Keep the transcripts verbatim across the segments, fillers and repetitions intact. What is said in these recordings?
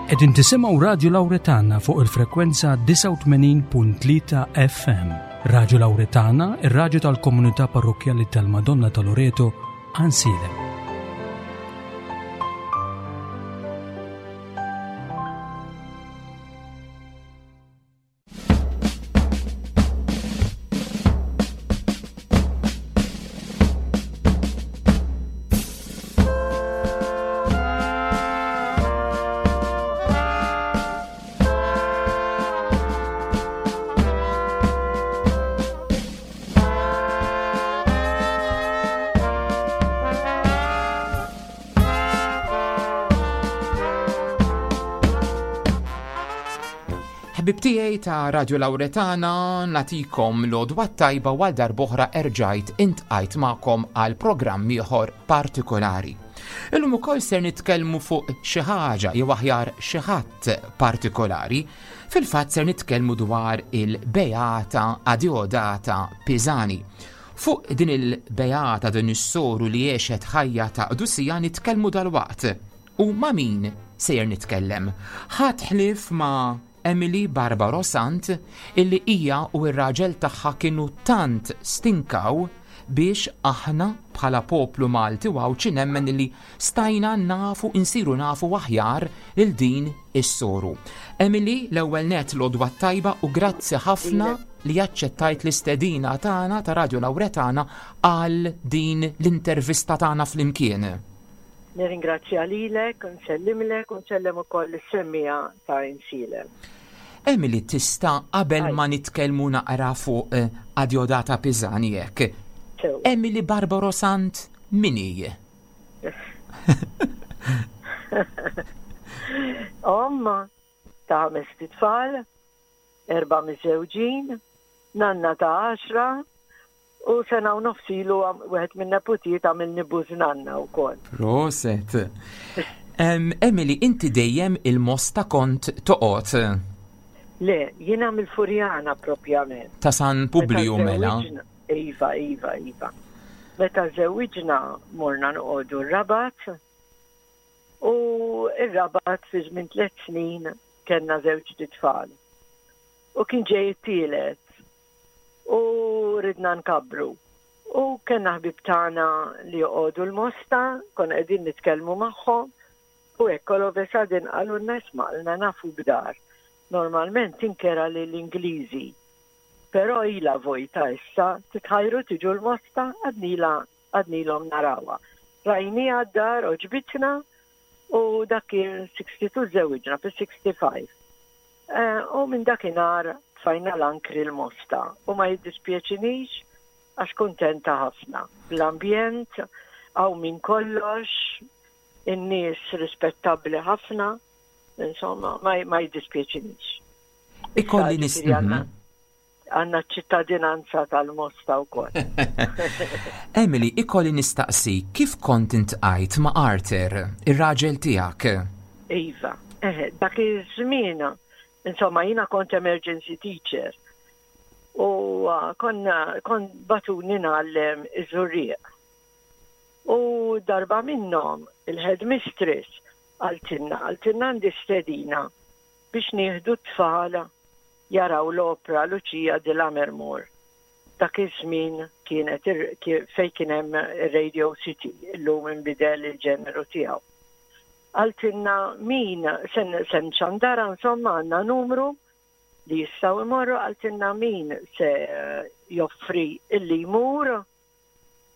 Qegħdin tisimgħu Radio Lauretana fuq il-frekwenza disgħa u tmenin punt tlieta F M. Radio Lauretana, ir-raġu tal-komunità parrokkjali tal-Madonna ta' Loreto, Għajnsielem. Ħbieb tiegħi ta' Radio Lauretana, nagħtikom l-għodwa tajba. Għal darb'oħra erġajt iltqajt magħkom għal programm ieħor partikolari. Illum ukoll ser nitkellmu fuq xi ħaġa, jew aħjar xi ħadd partikolari. Fil-fatt ser nitkellmu dwar il-Beata Adeodata Pisani. Fuq din il-Beata, din is-soru li għexet ħajja ta' qdusija, nitkellmu dalwaqt. U ma' min sejjer nitkellem? Ħadd ħlief ma' Emily Barbaro Sant, illi hija u r-raġel tagħha kienu tant stinkaw biex aħna bħala poplu Malti u Għawdxi nemmen illi stajna nafu, insiru nafu aħjar lil din is-soru. Emily, l-ewwel net l-għodwa tajba u grazzi ħafna li aċċettajt l-istedina tagħna ta' Radio Lauretana għal din l-intervista tagħna flimkien. Nirringrazzja lilek, nsellimlek u nsellem ukoll is-semmiegħa ta' Għajnsielem. Emily, tista' qabel ma nitkellmu naqra fuq eh, Adeodata Pisani hekk. Sew. Emily Barbaro Sant min hi? Omm ta' ħames tfal, erba' miżżewġin, nanna ta' għaxra, u sena u nofs ilu wieħed minn neputijiet għamilni bużnanna wkoll. Proset. Em, Emily, inti dejjem il-Mosta kont toqgħod? Le, jiena mill-Furjana propjament. Ta' San Publiju Meta mela. żewwiġna- Iva, Iva, Iva. Meta żewwiġna morna noqogħdu r-Rabat u ir-Rabat fi żmien tliet snin kellna żewġ tfal. U kien ġej it-tielet u ridna nkabbru. U kellna ħbib tagħna li joqogħdu l-Mosta, konna qegħdin nitkellmu magħhom u hekk all of a sudden qalulna, "Isma', qalna, nafu b'dar. Normalment tinkera lill-Ingliżi. Però ila vojta issa, titħajru tiġu l-Mosta?" Għadnila għadnilhom narawha. Rajnieha d-dar, għoġbitna u dak kien sittaħxi, żewwiġna fis-sittaħxi. Eh, U minn dakinhar tfajna l-ankri l-Mosta u ma jiddispjaċinix għax kuntenta ħafna. L-ambjent, hawn minn kollox, in-nies rispettabbli ħafna, insomma, ma, ma jiddispjaċinix. Ikolli nis. Ġifieri għandna għandna ċittadinanza tal-Mosta wkoll. Emily, ikolli nistaqsi kif kont iltqajt ma' Arthur, ir-raġel tiegħek? Iva, eh, dak iż-żmien, insomma, jiena kont emergency teacher. U uh, konna kont bagħtuni ngħallem iż-Żurrieq. U darba minnhom il-headmistress qaltilna, qaltilna għandi stedina biex nieħdu t-tfal jaraw l-opera Lucia di Lammermoor. Dak iż-żmien kienet ir- ki- fej kien hemm Radio City, illum inbidel il-ġeneru tiegħu. Qaltilna min sen, sen xandara, insomma, għandna numru li jistgħu imorru, qaltilna min se eh, joffri illi jmur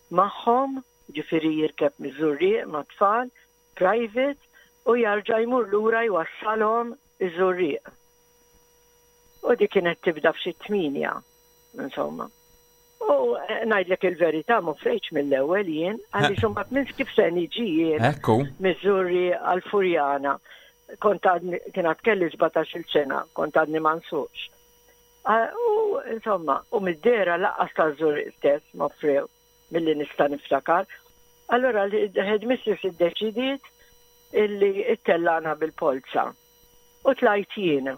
magħhom, ġifieri jirkeb miż-Żurrieq ma' tfal, private, u jerġa' jmur lura jwassalhom iż-Żurrieq. U di kienet tibda f'xi tmienja, insomma. U eh, ngħidlek il-verità, ma offrejtx mill-ewwel jien, għaliex imbagħad minn kif se niġi jien Ekku. miż-Żurrieq għal-Furjana. Kont għadni, kien għad kelli sbatax-il sena, kont għadni ma nsuqx. Ah, U insomma, u mid-dehra lanqas taż-Żurrieq stess ma offrew milli nista' niftakar. Allora l-headmistress iddeċidiet illi ittellana bil-polza. U tlajt jien.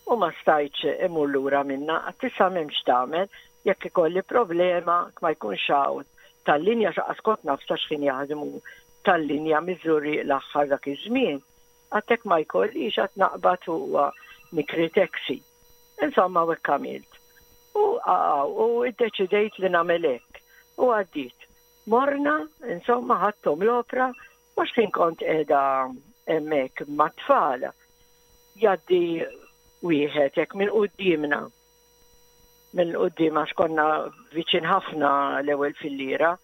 U ma stajtx imur lura minna, għax issa m'hemmx tagħmel, jekk ikolli problema, ma jkunx hawn tal-linja, lanqas kont naf sa x'ħin jaħdmu tal-linja miż-Żurrieq l-aħħar dak iż-żmien. Għedt ma jkollix għad naqbad u nikri taxi. Insomma, u hekk għamilt. U u iddeċidejt li nagħmel hekk. U għaddit. Morna, insomma, ħadthom l-opra, mhux kien kont qiegħda hemmhekk mat-tfal. Jgħaddi wieħed hekk minn quddiemna. Minn quddiem għax konna viċin ħafna l-ewwel fillira,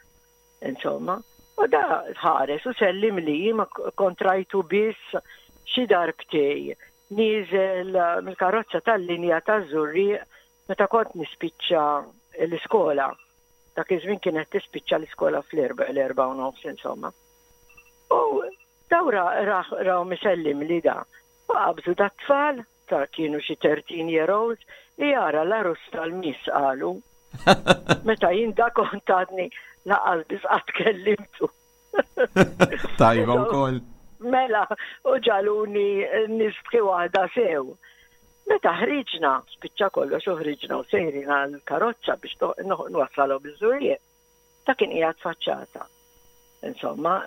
insomma. U da ħares u sellim li ma kont rajtu biss xi darbtejn nieżel mill-karozza tal-linja taż-Żurrieq meta kont nispiċċa l-iskola. Dak iż-żmien kienet tispiċċa l-iskola fl-erba' l-erba' u nofs insomma. U daw raw misellim li da. U qabżu da tfal ta' kienu xi thirteen year olds li jara l-għarus tal-Miss qalu. Meta jien da kont għadni lanqas biss qatt kellimtu. Tajba wkoll. Mela, u ġagħluni nistħi waħda sew. Meta ħriġna, spiċċa kollox u ħriġna u sejrin għal-karozza biex nwassalhom biż-Żurrieq. Ta' kien qiegħed faċċata. Insomma,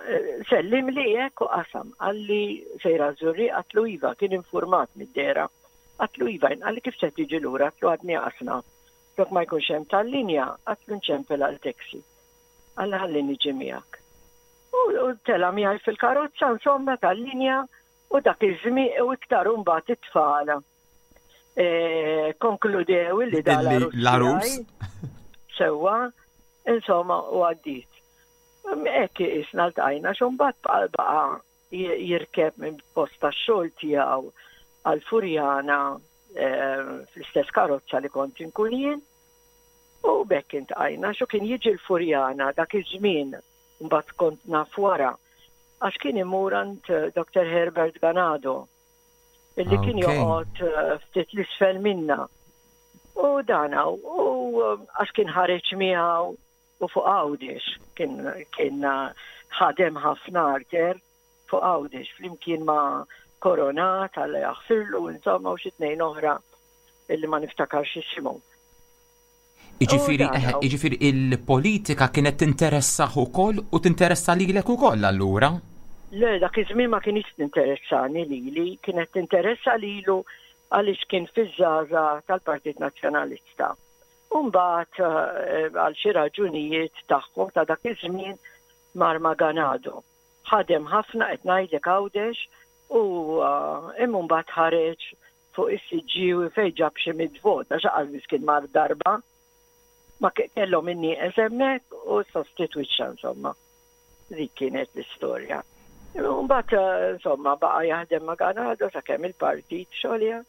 sellim li hekk u qasam, qalli sejra Żurrieq, għedtlu iva, kien informat mid-dehra. Għedtlu iva, qalli kif se tiġi lura, għedtlu għadni qasna. Jekk ma jkunx hemm tal-linja, għedtlu nċempel għal taxi. Qalli ħalli niġi miegħek. U tela' miegħi fil-karozza, insomma, tal-linja, u dak iż-żmien u iktar mbagħad it-tfal. E, konkludew li da l-għarus. Sewwa, insomma, u għaddit. Hekk isna ltqajna, xumbat baqa jirkeb minn post tax-xogħol tiegħu għal-Furjana fl-istess karozza li kont inkun jien. U b'hekk iltqajna, xu kien jiġi l-Furjana dak iż-żmien, mbagħad kont naf wara, għax kien imur għand Doctor Herbert Ganado, illi kien joqgħod ftit l-isfel minna. U dana, u għax kien ħareġ miegħu u fuq Għawdex, kien kien ħadem ħafna Arthur fuq Għawdex, flimkien ma' Koronat, Alla jaħfirlu, insomma, u xi tnejn oħra illi ma niftakarx isimhom. Iġifieri, iġifieri il-politika kienet tinteressah ukoll u tinteressa lilek ukoll allura? Le, dak iż-żmien ma kienx tinteressani lili, kienet tinteressa lilu għaliex kien fiż-żgħażagħ tal-Partit Nazzjonalista. U mbagħad għal xi raġunijiet tagħhom ta' dak iż-żmien mar ma' Ganado. Ħadem ħafna qed ngħidlek Għawdex u imma mbagħad ħareġ fuq is-Siġġiewi fejn ġab xi mitt vot għax qal kien mar darba. Ma kellhom in-nieqes hemmhekk u sostitwixxa insomma. Dik kienet l-istorja. Mbagħad insomma baqa' jaħdem ma' Ganado sakemm il-partit xolja.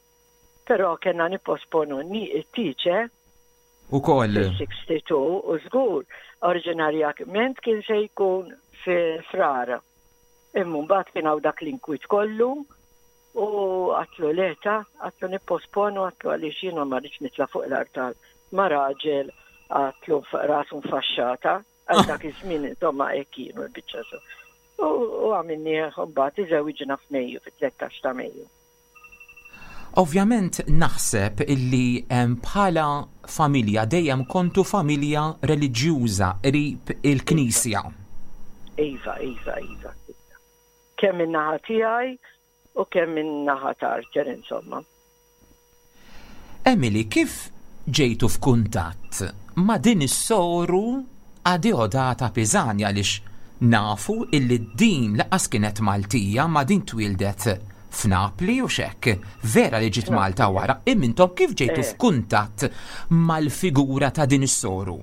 Però kellna nipposponu it-tieġ Ukoll. Fil-sixty-two u żgur oriġinarjament kien se jkun fi Frar. Imma mbagħad kien hawn dak l-inkwiet kollu u għedtlu le ta, għedtlu nipposponu, għedtlu għaliex jiena ma rridx nitla' fuq l-artal ma' raġel għedtlu rasu mfaxxata, għal dak iż-żmien insomma hekk kienu l-biċċa so. U għamilni mbagħad iżewġna f'Mejju, fit-tlettax ta' Mejju. Ovvjament naħseb illi bħala familja dejjem kontu familja reliġjuża qrib il-Knisja. Iva, iva, iva. Kemm min-naħa tiegħi u kemm min-naħa ta' Arthur, insomma. Emily, kif ġejtu f'kuntatt ma' din is-soru Adeodata Pisani, għaliex nafu illi din lanqas kienet Maltija, ma din twildet f'Napli u xek, vera li ġiet Malta wara, imma intom kif ġejtu f'kuntatt mal-figura ta' din is-soru?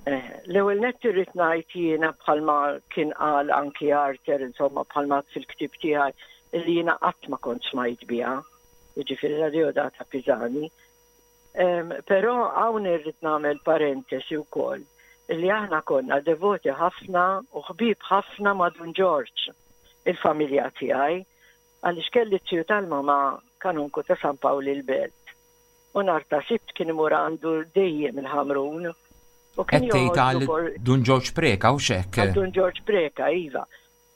L-ewwel nett irrid ngħid jiena bħalma kien qal anki Arthur, insomma bħalma fil-ktieb tiegħi li jiena qatt ma kont smajt biha, jiġifieri Adeodata Pisani. Però hawn irrid nagħmel parentesi wkoll li aħna konna devoti ħafna u ħbieb ħafna ma' Dun Ġorġ, il-familja tiegħi, għaliex kelli t-tiju tal-mama kanunku ta' San Pawl il-Belt. U nhar ta' Sibt kien imur għandu dejjem il-Ħamrun. U kien Qed tgħid joħodlu għal bor- Dun Ġorġ Preka u xek? Għal Dun Ġorġ Preka, iva.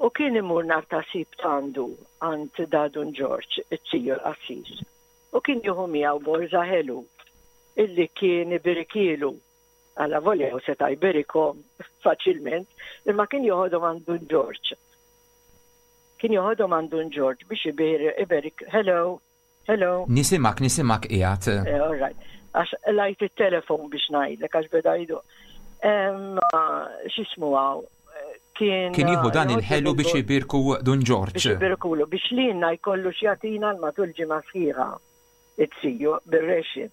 U kien imur nhar ta' Sibt għandu għand da Dun Ġorġ, it-tiju l-qassis. U kien jieħu miegħu borża ħelu illi kien ibirikilu. Alla volja u seta' jberikom faċilment, imma kien joħodhom għand Dun Ġorġ. Kien joħodhom għand Dun Ġorġ biex iberik, hello, hello. Nisimak, nisimak qiegħed. Eh, all right. Għax lajt il-telefon biex ngħidlek, għax beda jdu. X'ismu hawn? Kien Kien jieħu dan il-ħelu biex ibirku Dun Ġorġ. Biex ibirkulu, biex lilna jkollu x'jagħtina l-matul ġimgħa sħiħa. It-siju bir-ration.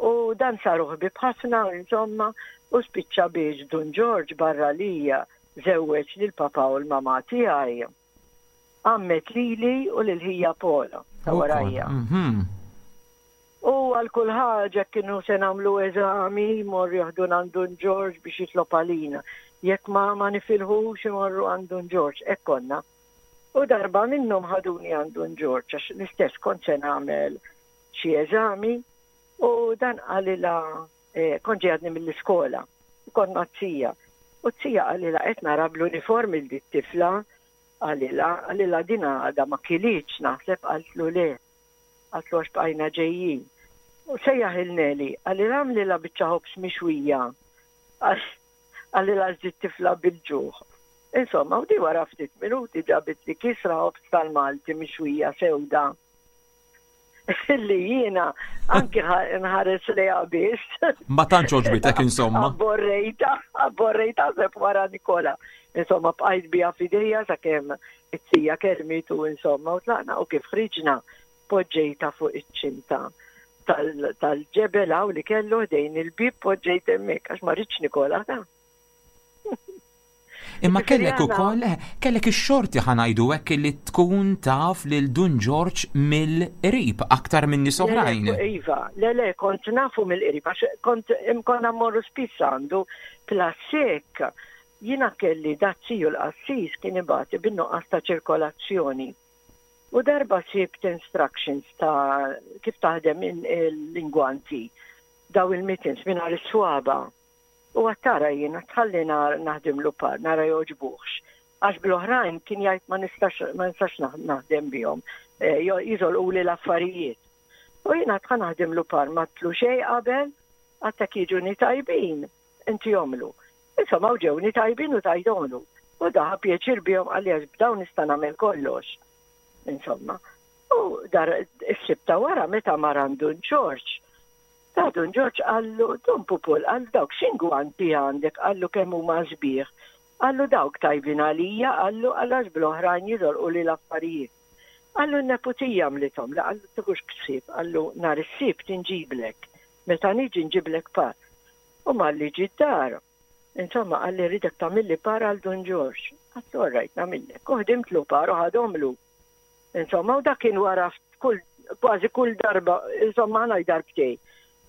U dan saru ħbieb ħafna, insomma, u spiċċa biex Dun Ġorġ barra lija żewweġ lil papa u l-mama tiegħi. Għammet lili u lil ħija Pola ta' warajja. Mhm. U għal kull ħaġa kienu se nagħmlu eżami, jmorru jaħdu għand Dun Ġorġ biex jitlob għalina. Jekk ma ma nifilħux imorru għand Dun Ġorġ, hekk konna. U darba minnhom ħaduni għand Dun Ġorġ, għax l-istess kont se nagħmel xi eżami, u dan qalilha, eh, kont ġejadni mill-iskola, u kont ma' zija. U z-zija qalilha qed nara bl-uniformi l tifla, qalilha, qalilha din għadha ma kilitx naħseb, qaltlu le. Qaltlu għax bqajna ġejjin. U sejjaħ il-Neli, qalilha għamlilha biċċa ħobż mixwija. Qalilha żid tifla bil-ġuħ. Insomma, u di wara ftit minuti ġabit li kisra ħobż tal-Malti mixwija sewda. Li jiena anki nħares li biss. Ma tantx għoġbitek insomma. Abborrejta, abborrejta seb wara Nikola. Insomma, bqajt bija f'idejja sakemm it-sija kelmitu insomma u tlaqna u kif ħriġna poġġejta fuq iċ-ċinta tal-ġebel hawn li kellu ħdejn il-bib poġġejt hemmhekk għax ma rridx Nikola ta' Imma kellek ukoll kellek ix-xorti ħa ngħidu hekk li tkun taf lil Dun Ġorġ mill-qrib aktar minn nies oħrajn. Iva, le le, kont nafu mill-qrib għax kont imkonna mmorru spiss għandu plasek. Jiena kelli daz-ziju l-qassis kien ibati bin-nuqqas ta' ċirkolazzjoni. U darba sibt instructions ta' kif taħdem il-lingwanti daw il-mittens mingħajr is-swaba. U għattara jiena tħalli naħdimlu par, nara joġbuħx. Għax bl-oħrajn kien jgħid ma nistax ma nistax naħdem bihom, eh, jiżolqu li l-affarijiet. U jiena tħa naħdimlu par ma tlu xejn qabel, għattak jiġuni tajbin, inti jomlu. Insomma, u ġewni tajbin u tajdomlu. U daħa pjaċir bihom għalli għax b'dawn nista' nagħmel kollox. Insomma. U dar is-sibta wara meta mar għand Dun Ġorġ. Ta' Dun Ġorġ qallu, Dun Pupul, qallu dawk x'ingwanti għandek, qallu kemm huma sbieħ. Qallu dawk tajbin għalija, qallu għax bl-oħrajn jidolqu li l-affarijiet. Qallu n-neputija għamlithom, la qallu tiħux ħsieb, qallu nhar is-Sibt inġiblek, meta niġi nġiblek par. U malli ġi d-dar. Insomma, qalli rridek tagħmilli par għal Dun Ġorġ. Għedtlu all right nagħmillek. U ħdimtlu par u ħadomlu. Insomma, u dak kien wara kull, kważi kull darba, insomma, ħana darbtej.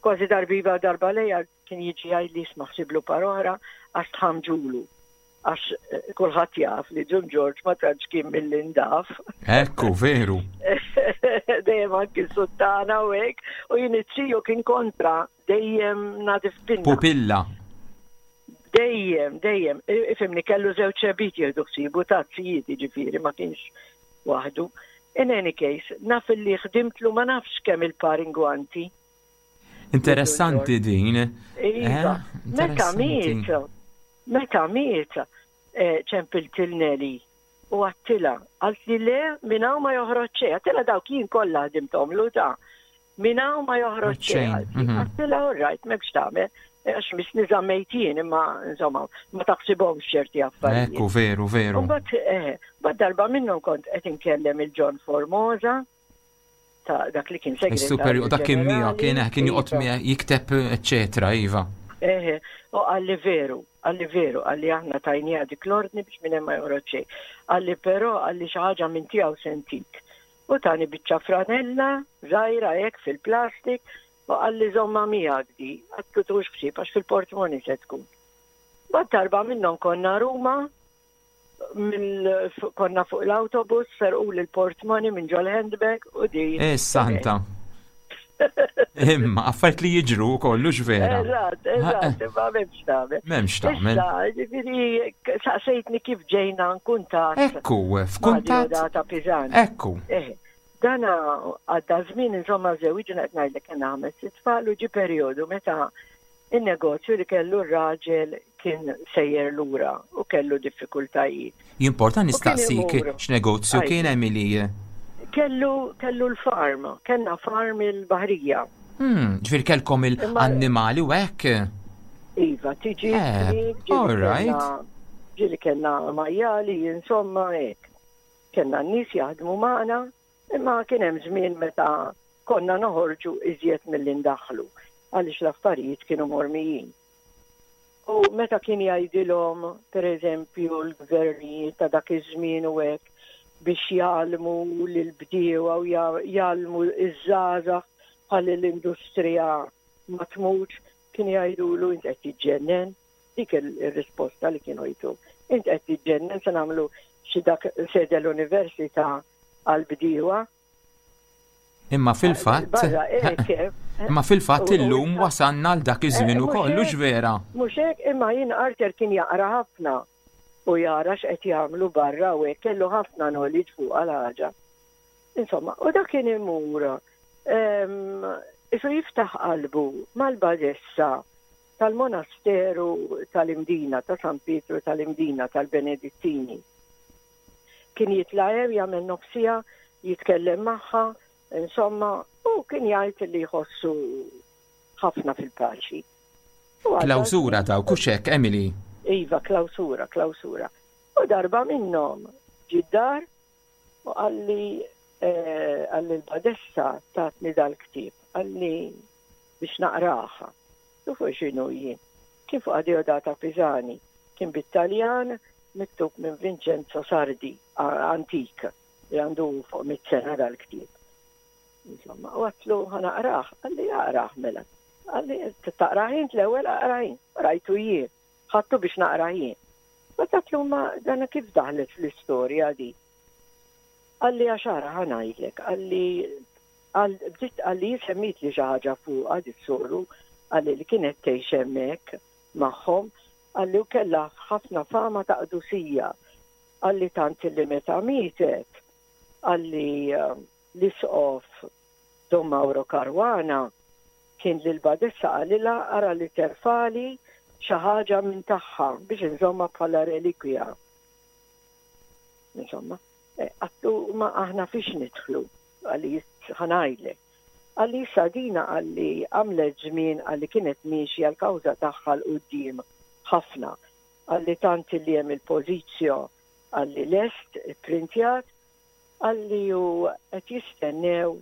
Kważi darbiva darba lejja kien jiġi jgħidli isma' ħsiblu par oħra għax tħamġulu. Għax eh, kulħadd jaf li Dun Ġorġ ma tantx kien mill-indaf. Ekku, veru. Dejjem anki suttana u hekk, u jien it-tiju kien kontra dejjem nadif pinna. Pupilla. Dejjem, dejjem, ifhimni kellu żewġ xebit jieħdu ħsibu ta' tzijiet ġifieri ma kienx waħdu. In any case, naf li ħdimtlu ma nafx kemm il-par ingwanti. Interessanti din. Iva, Eh, meta interessanti. miet, meta miet, eh, ċempilt lil Neli u għedtilha, għalt li le minn hawn ma joħroġ xejn, għedtilha dawk jien kollha ħdimthom ta' minn hawn ma joħroġ Xejn, xejn. mhm. Għedtilha all right, m'hemmx tagħmel, għax misni żammejt jien imma insomma ma taħsibhomx ċerti affarijiet. Ekku, veru, veru. Mbagħad eh, mbagħad darba minnhom kont qed inkellem il-John Formosa ta' dak li kien Is-super, segretarju u dak kien miegħu, kien ġenerali. kien joqgħod Iva. miegħek jikteb, eċetera, iva. Eħe, u qalli veru, qalli veru, qalli aħna tajnija dik l-ordni biex minn hemm ma joħroġ xejn. Qalli però qalli xi ħaġa minn tiegħu sentik. U tani biċċa franella, żgħira hekk fil-plastik, u qalli żomma miegħek di, għedtlu tieħux ħsieb għax fil-portmoni se tkun. Mbagħad darba minnhom konna Ruma, mill konna fuq l-autobus, serqu l-portmoni minn ġol handbag u di. Eh, santa. Imma, affarijiet li jiġru kollux vera. Eżatt, eżatt, ma m'hemmx tagħmel. M'hemmx tagħmel. Issa, ġifieri, saqsejtni kif ġejna nkuntat. Ekku, f'kuntatt. Ta' Pisani. Ekku. Eh, dana għadda żmien insomma żewġna qed ngħidlek kien ħames tfal u ġi perjodu meta Il-negozju li kellu r-raġel kien sejjer lura u kellu diffikultajiet. Jimporta nistaqsik x'negozju kien, Emily? Kellu kellu l-farm, kellna farm il-Baħrija. Hmm, ġifieri kellkom il-annimali u hekk? Iva, tiġi. Eh, all right. Ġieli kellna majjali, insomma, hekk. Kellna n-nies jaħdmu magħna, imma kien hemm żmien meta konna noħorġu iżjed milli ndaħħlu għaliex l-affarijiet kienu mormijin. U meta kien jgħidilhom, per eżempju, l-gvernijiet ta' dak iż-żmien u hekk biex jgħallmu lill-bdiewa u jgħallmu iż-żgħażagħ ħalli l-industrija ma tmutx, kien jgħidulu: "Int qed tiġġennen?" Dik ir-risposta li kienu jtu. "Int qed tiġġennen, se nagħmlu xi dak sede l-università għall-bdiewa?" Imma fil-fatt. Imma fil-fatt illum wasanna għal dak iż-żmien ukoll, hux vera? Mhux hekk, imma jien Arthur kien jaqra ħafna u jara x'qed jagħmlu barra u hekk, kellu ħafna knowledge fuq għal ħaġa. Insomma, u dak kien imur isu jiftaħ qalbu mal-badessa tal-monasteru tal-Imdina, ta' San Pietru tal-Imdina, tal-Benedittini. Kien jitla' hemm jagħmel nofs siegħa, jitkellem magħha, insomma, u kien jgħid li jħossu ħafna fil-paċi. Klawsura ta' kuxek, Emily? Iva, klawsura, klawsura. U darba minnhom ġie d-dar u qalli eh, qalli l-badessa tatni dal-ktieb, qalli biex naqraha. U fuq x'inhu jien? Kien fuq Adeodata Pisani, kien bit-Taljan, miktub minn Vincenzo Sardi, antik, li għandu fuq mitt sena dal-ktieb. Insomma, u għedtlu: "Ħa naqrah." Qalli: "Aqrah mela." Qalli: "Taqrah int l-ewwel, aqrah int." Rajtu jien, ħadtu biex naqrah jien. Ma għedtlu: "Ma dana kif daħlet fl-istorja di?" Qalli: "Għax ara, ħa ngħidlek," qalli, bdiet, qalli, semmit li xi ħaġa fuqha dis-soru, qalli li kienet tgħix hemmhekk magħhom, qalli u kellha ħafna fama ta' qdusija. Qalli tant li meta mietet, qalli eh, l-isqof Don Mauro Caruana kien lil badessa qalilha: "Ara li terfagħli xi ħaġa minn tagħha biex inżomma bħala relikwija." Insomma, eh, għedtlu: "Ma aħna fiex nidħlu?" Qalli: "Ħa ngħidlek." Qalli Sadina, qalli għamlet żmien, qalli kienet miexja l-kawża tagħha 'l quddiem ħafna. Qalli tant li hemm il-pożizzjo, qalli lest, printjat, qalli u qed jistennew,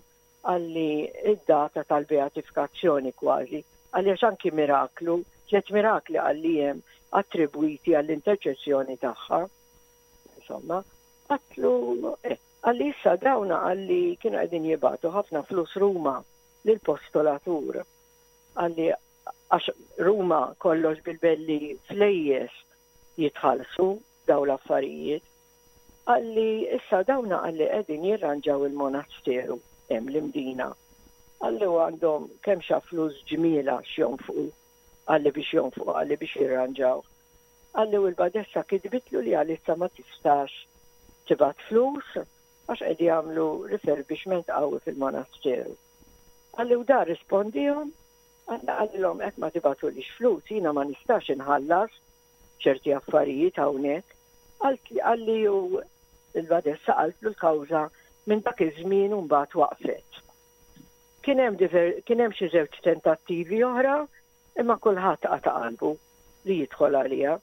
qalli id-data tal-beatifikazzjoni kważi. Qalli għax anki miraklu, tliet mirakli qalli hemm attribwiti għall-interċessjoni tagħha. Insomma, għedtlu, eh, qalli issa dawna, qalli kienu qegħdin jibagħtu ħafna flus Ruma lill-postolatur. Qalli għax Ruma kollox bil-belli flejjes jitħallsu daw l-affarijiet. Qalli issa dawna, qalli qegħdin jirranġaw il-monasteru hemm l-Imdina. Qalli u għandhom kemm xa flus ġmiela x'jonfqu, qalli biex jonfqu, qalli biex jirranġaw. Qalli u l-badessa kitbitlu li għalissa ma tistax tibgħat flus għax qed jagħmlu refurbishment qawwi fil-monasteru. Qalli u da rispondihom, qalli qalilhom: "Hekk ma tibagħtulix flus, jiena ma nistax inħallas ċerti affarijiet hawnhekk." Qalli u il-badessa qaltlu l-kawża minn dak iż-żmien u mbagħad waqfet. Kien hemm kien hemm xi żewġ tentattivi oħra, imma kulħadd qata' qalbu li jidħol għaliha.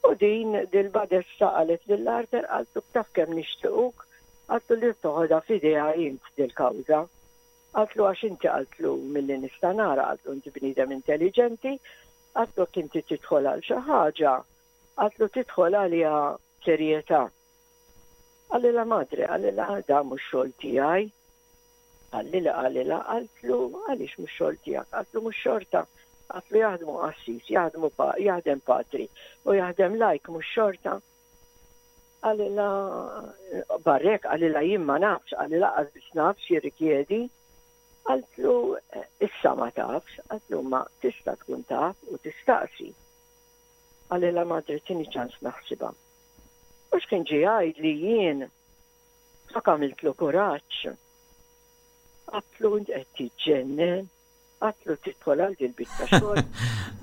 U din dil-badessa qalet lil Arthur, qaltlu: "Taf kemm nixtiequk," qaltlu, "li toħodha f'idejha int dil-kawża." Qaltlu għax inti, qaltlu, milli nista' nara, qaltlu inti bniedem intelligenti, qaltlu inti tidħol għal xi ħaġa, qaltlu tidħol għaliha serjetà. Qalilha: "Madre," qalilha, "da mhux xogħol tiegħi." Qalli li qalilha, qaltlu: "Għaliex mhux xogħol tiegħek?" Qaltlu: "Mhux xorta." Qaltlu: "Jaħdmu qassis, jaħdmu pa, jaħdem patri u jaħdem lajk, mhux xorta?" Qalilha barrek, qalilha jien ma nafx, qalilha qas biss nafx jirrikjedi. Qaltlu: "Issa ma tafx," qaltlu, "ma tista' tkun taf u tistaqsi." Qalilha: "Madre, tini ċans naħsibha." U x'kien ġie jgħid li jien dak għamiltlu kuraġġ. Għedtlu: "Int qed tiġġennen?" Għedtlu: "tidħol għal dil-biċċa xogħol?"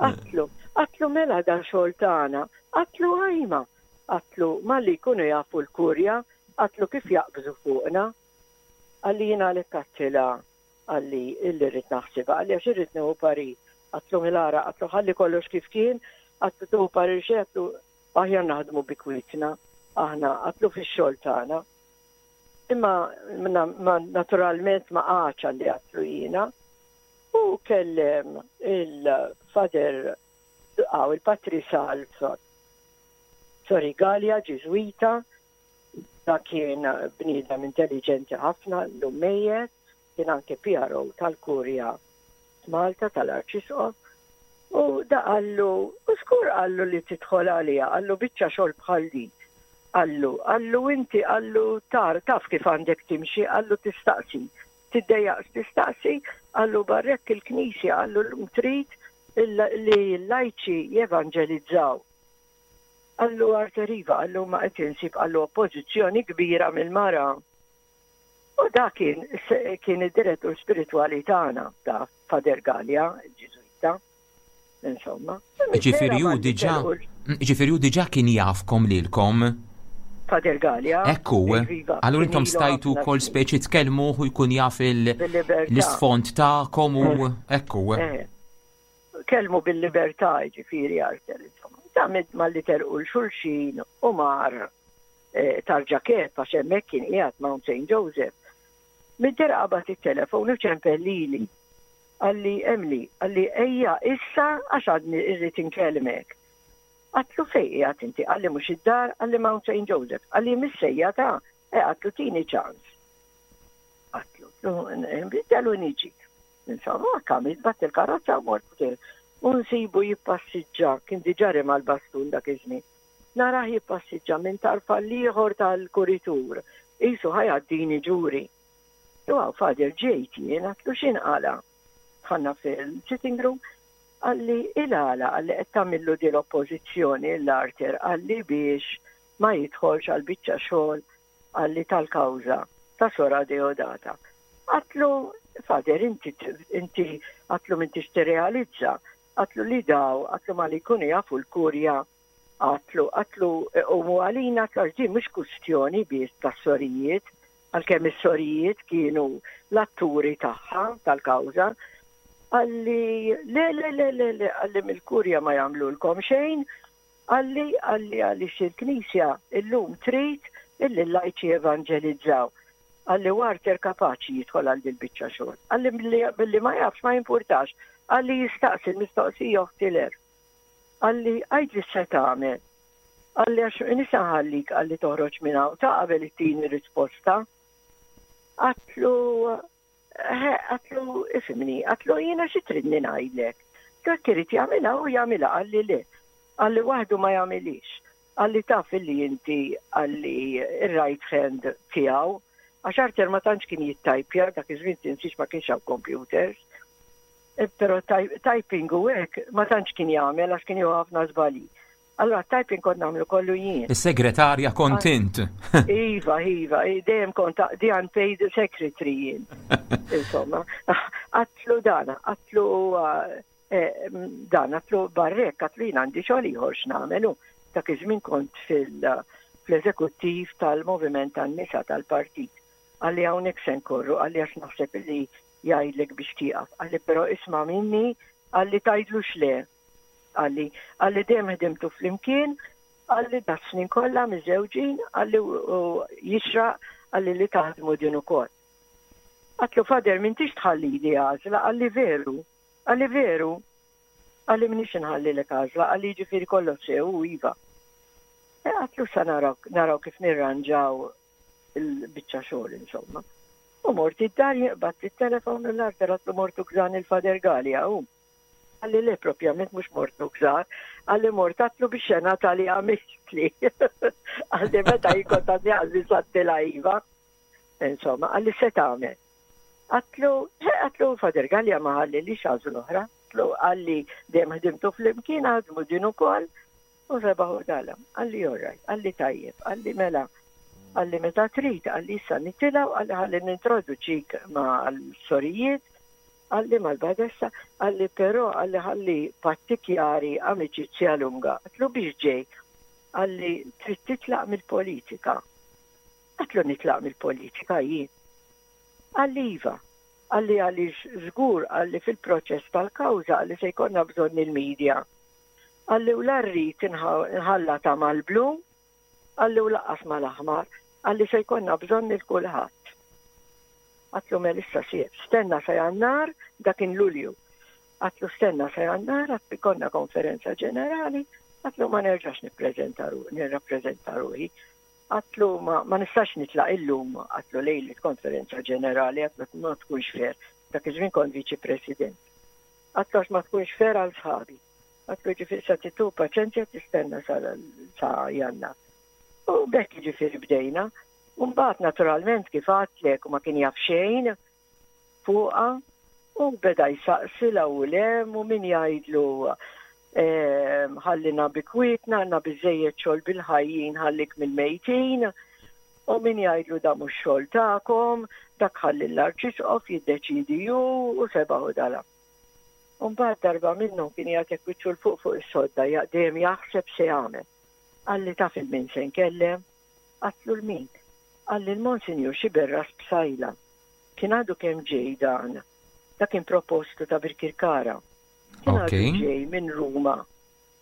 Għedtlu, għedtlu mela dan xogħol tagħna, għedtlu ajma, għedtlu malli jkunu jafu l-kurja, għedtlu kif jaqbżu fuqna. Qalli jiena għalhekk għedtilha, qalli illi rrid naħsibha, qalli għax irrid nieħu parir. Għedtlu mela ara, għedtlu ħalli kollox kif kien, għedtlu tieħu parir xejn, għedtlu aħjar naħdmu bi kwietna, aħna għedtlu fix-xogħol tagħna. Imma naturalment ma qagħadx għalli għedtlu jiena. U kellem il-Father għaw il-Patri Salv, sorry, Gallia, Ġiżwita, da kien bniedem intelligenti ħafna, l mejjet, kien anke P R O tal-Kurja Malta tal-Arċisqof, u da qallu, u skur qallu li tidħol għalija, qallu biċċa xogħol bħal di. Qallu, qallu inti, qallu tar, taf kif għandek timxi, qallu tistaqsi. Tiddejjaqx tistaqsi, qallu barrek il-knisja, qallu l trid li l-lajċi jevanġelizzaw. Qallu Arthur iva, qallu ma qed insib, qallu oppożizzjoni kbira mill-mara. U da kien kien id-direttur spiritwali tagħna ta' Father Gallia, il-Ġiżwita. Insomma. Ġifieri hu diġà ġifieri hu diġà kien jafkom lilkom. Father Gallia. Ekku, allura intom stajtu kol speċi tkellmu u jkun jaf l-isfond tagħkom u ekku. Eh. Kellmu bil-libertà, ġifieri Arthur, insomma. Ta' malli telqu 'l xulxin u mar eh, tarġa kef għax hemmhekk kien qiegħed Mount Saint Joseph. Mid-dera qabad it-telefon u ċempel lili. Qalli Emily, qalli ejja issa għax għadni irrid inkellmek. Għedtlu fejn qiegħed inti, qalli mhux id-dar, qalli Mount Saint Joseph, qalli missejja ta' e għedtlu tini ċans. Għedtlu, nbiddelu niġi. Insomma, kamil, bat il-karozza u mort u nsibu jippassiġġa, kien diġà mal-bastun dak iż-żmien. Narah jippassiġġa minn tarf għall-ieħor tal-kuritur, qisu ħa jgħaddini ġuri. U għaw, Father, ġejt jien, għedtlu x'inqala'. Dħalna fil-sitting room, qalli il-għala, qalli qed tagħmillu di l-oppożizzjoni l-Arthur, qalli biex ma jidħolx għal biċċa xogħol, qalli tal-kawża ta' Sora Deodata. Għedtlu, Father, inti, inti għedtlu m'intix tirrealizza, għedtlu li daw, għedtlu malli jkunu jafu l-kurja, għedtlu, għedtlu u għalina għedtlu mhux kustjoni biss ta' sorijiet, għalkemm is-sorijiet kienu l-atturi tagħha tal-kawża, qalli, le, le, le, le, le, qalli mill-kurja ma jagħmlulkom xejn, qalli, qalli, qalli il-knisja illum trid illi l-lajċi evanġelizzaw. Qalli Arthur kapaċi jidħol għal dil-biċċa xogħol. Qalli billi ma jafx ma jimpurtax. Qalli jistaqsi l-mistoqsija uħtiler. Qalli għidli se tagħmel. Qalli għax nisa ħallik, qalli toħroġ minn hawn ta' qabel it-tini risposta. Għedtlu għedtlu ifhimni, għedtlu jiena xi tridni ngħidlek. Dak irid jagħmilha u jagħmilha, qalli le. Qalli waħdu ma jagħmilix. Qalli taf illi inti, qalli ir-right hand tiegħu. Għax Arthur ma tantx kien jittajpja, dak iż-żmien tinsiex ma kienx hawn computers. E, però typing u hekk ma tantx kien jagħmel għax kien jieħu ħafna żbalji. Allora typing kont nagħmlu kollu jien. Is-segretarja kont int. Iva, iva, dejjem kont the unpaid secretary jien. Insomma, għedtlu dana, għedtlu eh, dan, għedtlu barrek, għedtlu jien għandi xogħol ieħor x'nagħmelu. Dak iż-żmien kont fil-eżekuttiv tal-Moviment tan-Nisa tal-Partit. Qalli hawnhekk se nkorru, qalli għax naħseb li jgħidlek biex tieqaf. Qalli però isma' minni, qalli tgħidlux le. Qalli, qalli dejjem ħdimtu flimkien, qalli da snin kollha miżewġin, qalli u jixraq, qalli li taħdmu din ukoll. Għedtlu Father m'intix tħallili għażla, qalli veru, qalli veru, qalli m'inix nħallilek għażla, qalli ġifieri kollox sew u iva. E għedtlu sa naraw, naraw kif nirranġaw il-biċċa xogħol insomma. U mort id-dar jaqbad il-telefon u l-Arthur għedtlu mortu gżan il-Father Gallia u. Qalli le propjament mhux mortu gżar, qalli mort għedtlu biex xena tali għamiltli. Qalli meta jikon ta' għazzi sattila iva. Insomma, qalli se tagħmel. Għedtlu, għedtlu Father Gallia ma ħallilix għażla oħra. Għedtlu qalli dejjem ħdimtu flimkien ħadmu din ukoll u rebaħu dalam. Qalli alright, qalli tajjeb, qalli mela. Qalli meta trid, qalli issa nitilgħu, qalli ħalli nintroduċik ma' l-sorijiet. Qalli mal-badessa, qalli però qalli ħalli patti chiari, amicizia lunga. Għedtlu biex ġej, qalli trid titlaq mill-politika. Għedtlu nitlaq mill-politika jien. Qalli iva, qalli għaliex żgur qalli fil-proċess tal-kawża qalli se jkollna bżonn il-medja. Qalli u la rrid nħallata mal-blu, qalli u lanqas mal-aħmar, qalli se jkollna bżonn lil kulħadd. Għedtlu mela issa stenna sa Jannar, dak kien Lulju. Għedtlu stenna sa Jannar, għedtlu jkollna konferenza ġenerali, għedtlu ma nerġax nippreżenta nirrappreżenta ruħi. Għedtlu ma, ma nistax nitlaq illum, għedtlu lejlet konferenza ġenerali, għedtlu ma tkunx fair. Dak iż-żmien kont viċi president. Għedtlu għax ma tkunx fair għal sħabi. Għedtlu ġifieri sa titu paċenzja tistenna sa, sa Jannar. U b'hekk ġifieri bdejna. Mbagħad naturalment kif għedtlek u ma kien jaf xejn fuqha u beda jsaqsi 'l u lem u min jgħidlu ħallina bi kwietna, għandna biżżejjed xogħol bil-ħajjin ħallik mill-mejtin u min jgħidlu da mhux xogħol tagħkom, dak ħalli l-arċisqof jiddeċidi ju u seba' u dala. Mbagħad darba minnhom kien jagħtek wiċċu 'l fuq fuq is-sodda dejjem jaħseb se jagħmel. Qalli taf 'il min se nkellem, għedtlu 'l min. Qalli l-Monsinjur Sciberras Psaila. Kien għadu kemm ġej dan. Da kien propostu ta' Birkirkara. Kien għadu ġej minn Ruma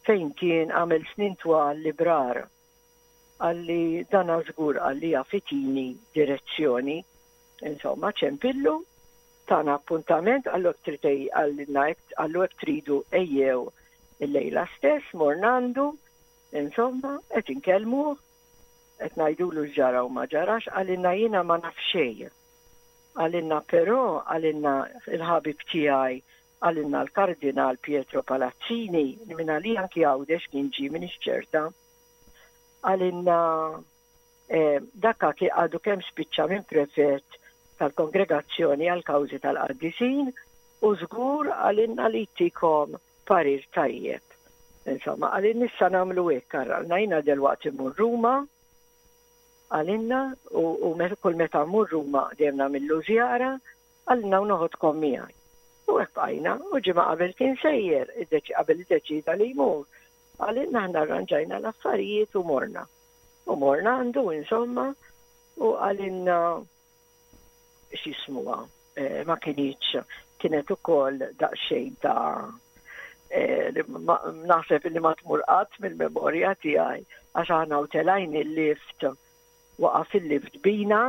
fejn kien għamel snin twal librar. Qalli dan żgur qalli jaf itini direzzjoni. Insomma, ċempillu, tana appuntament, qallu tritej qallu hekk tridu ejjew il-lejla stess, morna għandu, insomma, qed inkellmuh, qed ngħidulu ġara u ma ġarax, qalilna jiena ma naf xejn. Qalilna però, qalilna il-ħabib tiegħi, qalilna l-Kardinal Pietro Palazzini, minn għalija anki Għawdex kien ġie minn ċerta. Qalilna eh, dakka kien għadu kemm spiċċa minn prefett tal-kongregazzjoni għal kawżi tal-qaddisin u żgur qalilna li jtikom parir tajjeb. Insomma, qalilna issa nagħmlu hekk, qalilna jiena delwaqt immur Ruma, qalilna u, u kull meta mmur Ruma dejjem nagħmillu żjara, qalilna u noħodkom miegħi. U hekk bqajna, u ġimgħa qabel kien sejjer, qabel iddeċida li jmur. Qalilna aħna arranġajna l-affarijiet u morna. U morna għandu insomma u qalilna x'jismuha, eh, ma kinitx kienet ukoll daqsxejn ta' eh, naħseb li ma tmur qatt mill-memorja tiegħi għax aħna u telgħin il-lift waqa' fil-lift bina.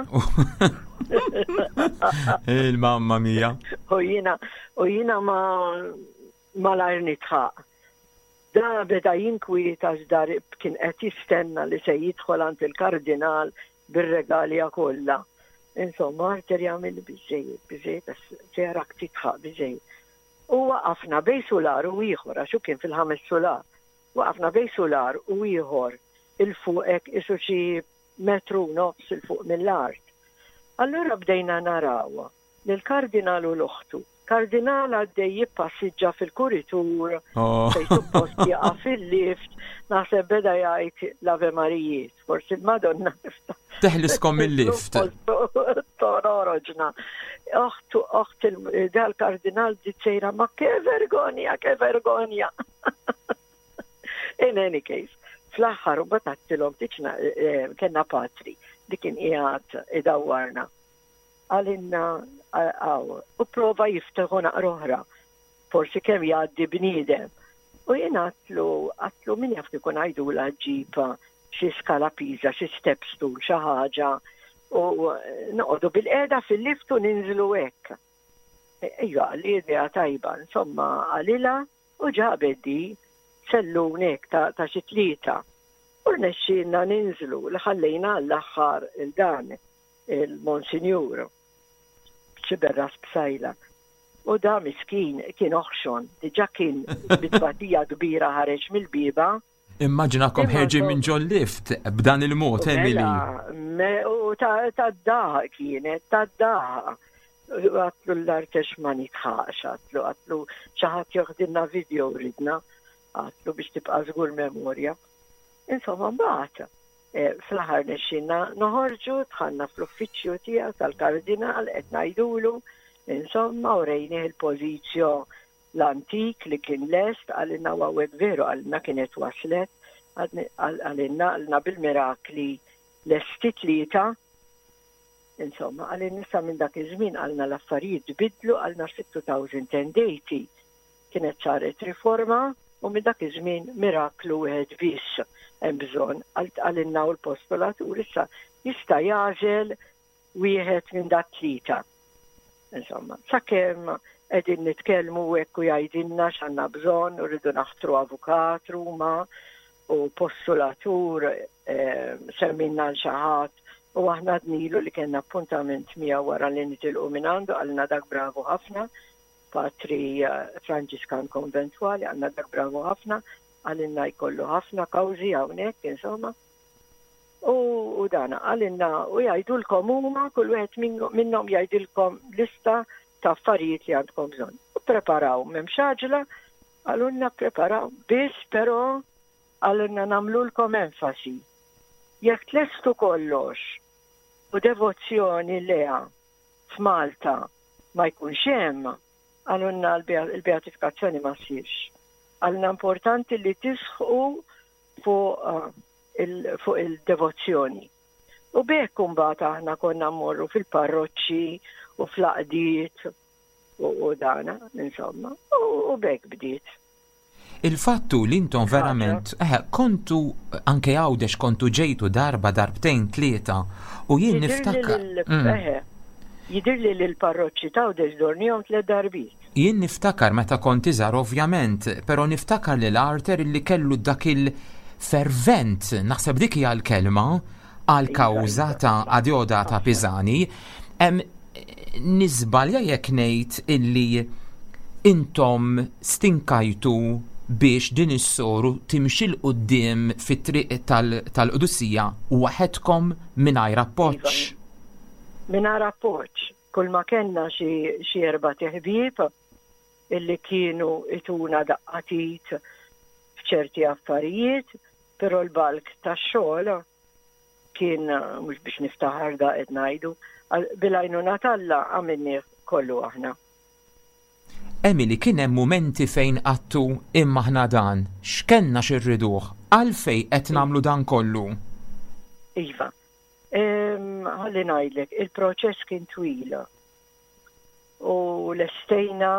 Il-mamma mia. U jiena u jiena ma malajr nidħaq. Da beda jinkwieta dar kien qed jistenna li se jidħol għand il-kardinal bir-regalja kollha. Insomma, Arter jagħmel biżejjed, biżejjed, se jarak tidħaq biżejjed. U waqafna bejn sular u ieħor, għax kien fil-ħames sular. Waqafna bejn sular u ieħor 'il fuq hekk isu xi metru nofs 'il fuq mill-art. Allura bdejna naraw lill-kardinal u l-oħtu. Kardinal għaddej jippassiġġa fil-kuritur, Oh. fej suppost jaqa' fil-lift, naħseb beda jgħid l-Ave Marijiet, forsi il-Madonna Teħliskom mill-lift. Tororoġna. Oħtu, oħt dal-kardinal sejra, ma che vergogna, che vergogna. In any case, fl-aħħar u batattilhom tiċna kellna patri li kien qiegħed idawwarna. Qalilna għaw, u prova jiftaħu naqra oħra, forsi kemm jgħaddi bniedem. U jien għedtlu, għedtlu min jaf kieku ngħidula ġib xi skala pisa, xi step stool, xi ħaġa, u noqogħdu bil-qiegħda fil-lift u ninżlu hekk. Ejja, li idea tajba, insomma, qalilha u ġabet di sellun hekk ta', ta' xi tlieta. U rnexxielna ninżlu li ħallejna għall-aħħar il-dan il-Monsinjur Sciberras Psaila. U da miskin kien oħxon, diġa kien bit-tbatija kbira ħareġ mill-bieba. Immaġinakom ħerġin minn ġol lift b'dan il-mod, Emily. Mela, u ta' ta' daħ kienet, ta' daħ. Għedtlu l-artex ma nidħaqx, għedtlu, għedtlu xi ħadd joħdilna video ridna, għedtlu biex tibqa' żgur memorja. Insomma, mbagħad eh, fl-aħħar rnexxielna noħorġu, dħalna fl-uffiċċju tiegħu tal-kardinal qed ngħidulu, Insomma, u rejnieh il-pożizzjo l-antik li kien lest, qalilna hawnhekk veru, qalilna kienet waslet, qalilna qalilna bil-mirakli lesti tlieta. Insomma, qalilna issa minn dak iż-żmien qalilna l-affarijiet tbiddlu, qalilna fit-elfejn u tmienja kienet saret riforma u minn dak iż-żmien miraklu wieħed biss hemm bżonn. Qalilna u l-postulatur issa jista' jagħżel wieħed minn dat tlieta. Insomma, sakemm qegħdin nitkellmu hekk u jgħidilna x'għandna bżonn u rridu naħtru avukat Ruma u postulatur, eh, semmilna lil xi ħadd u aħna għednilu li kellna appuntament miegħu wara li nitilqu minn għandu, qalilna dak bravu ħafna, patri eh, Franġiskan konventwali, qalilna dak bravu ħafna, qalilna jkollu ħafna kawżi hawnhekk, insomma. U, u dana, qalilna u jgħidulkom huma, kull wieħed minnhom jgħidilkom lista ta' affarijiet li għandkom bżonn. U preparaw, m'hemmx għaġla, qalulna preparaw, biss però qalulna nagħmlulkom enfasi. Jekk tlestu kollox u devozzjoni lejha f'Malta ma jkunx hemm, qalulna l-beatifikazzjoni ma ssirx. Qalulna importanti li tisħqu fuq uh, fuq il-devozzjoni. U b'hekk imbagħad aħna konna mmorru fil-parroċċi u fl-għaqdiet u, u dana, insomma, u, u b'hekk bdiet. Il-fattu li intom verament, eh, kontu anke Għawdex kontu ġejtu darba, darbtejn, tlieta, u jien niftakar. Mm. Jidhirli li l-parroċċi ta' Għawdex dornihom tliet darbiet. Jien niftakar meta kont iżgħar ovvjament, però niftakar li l-Arthur li kellu dak il-fervent, naħseb dik hija l-kelma, għal kawża ta' Adeodata Pisani. Niżbalja jekk ngħid illi intom stinkajtu biex din is-soru timxi 'l quddiem fit-triq tal-qdusija waħedkom mingħajr appoġġ? Iva. Mingħajr appoġġ. Kull ma kellna xi erba' ħbieb illi kienu jtuna daqqa t'id f'ċerti affarijiet, però l-bulk tax-xogħol kien, mhux biex niftaħar da qed ngħidu, bil-għajnuna t'Alla għamilnieh kollu aħna. Emily, kien hemm mumenti fejn għedtu imma aħna dan, x'kellna x'irriduh, għalfejn qed nagħmlu dan kollu? Iva. Ħalli ngħidlek, il-proċess kien twil. U lestejna,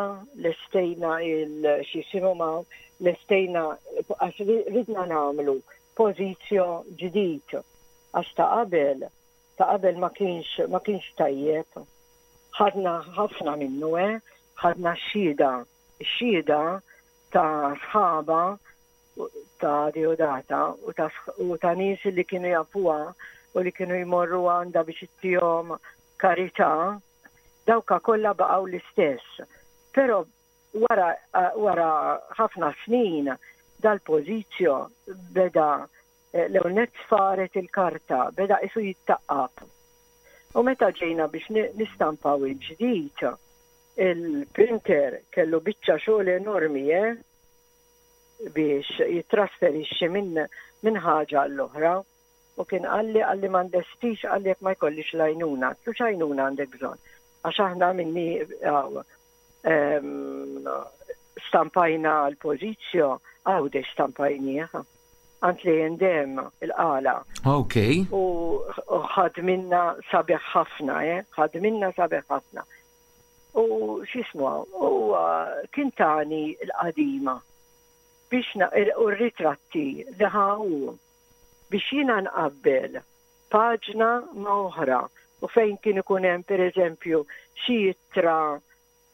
lestejna il-x'jisimhu ma, lestejna, għax ridna nagħmlu pożizzjo ġdid. Għax ta' qabel, ta' qabel ma kienx, ma kienx tajjeb. Ħadna ħafna minnu, eh? Ħadna xhieda, xhieda ta' sħaba ta' Deodata u ta', u ta' nies li kienu jafuha u li kienu jmorru għandha biex ittihom karità, dawka kollha baqgħu l-istess. Però wara, wara ħafna snin dal-pożizzjo beda eh, l-ewwel sfaret il-karta, beda isu jittaqqab. U meta ġejna biex nistampaw il-ġdid, il-printer kellu biċċa xogħol enormi, eh? Biex jitrasferixxi minn min ħaġa l-oħra. U kien qalli qalli ma nlestix, qalli, jekk ma jkollix l-għajnuna. Għedtlu x'għajnuna għandek bżonn? Għax aħna minni stampajna l-pożizzjo, Għawdex stampajnieh. Għand li jendem il-Qala. Ok. U ħadminna sabiħ ħafna, eh? Ħadminna sabiħ ħafna. U x'jismu, u kien tani l-qadima biex u r-ritratti li ħawu biex jiena nqabbel paġna ma' oħra u fejn kien ikun hemm, pereżempju, xi ittra,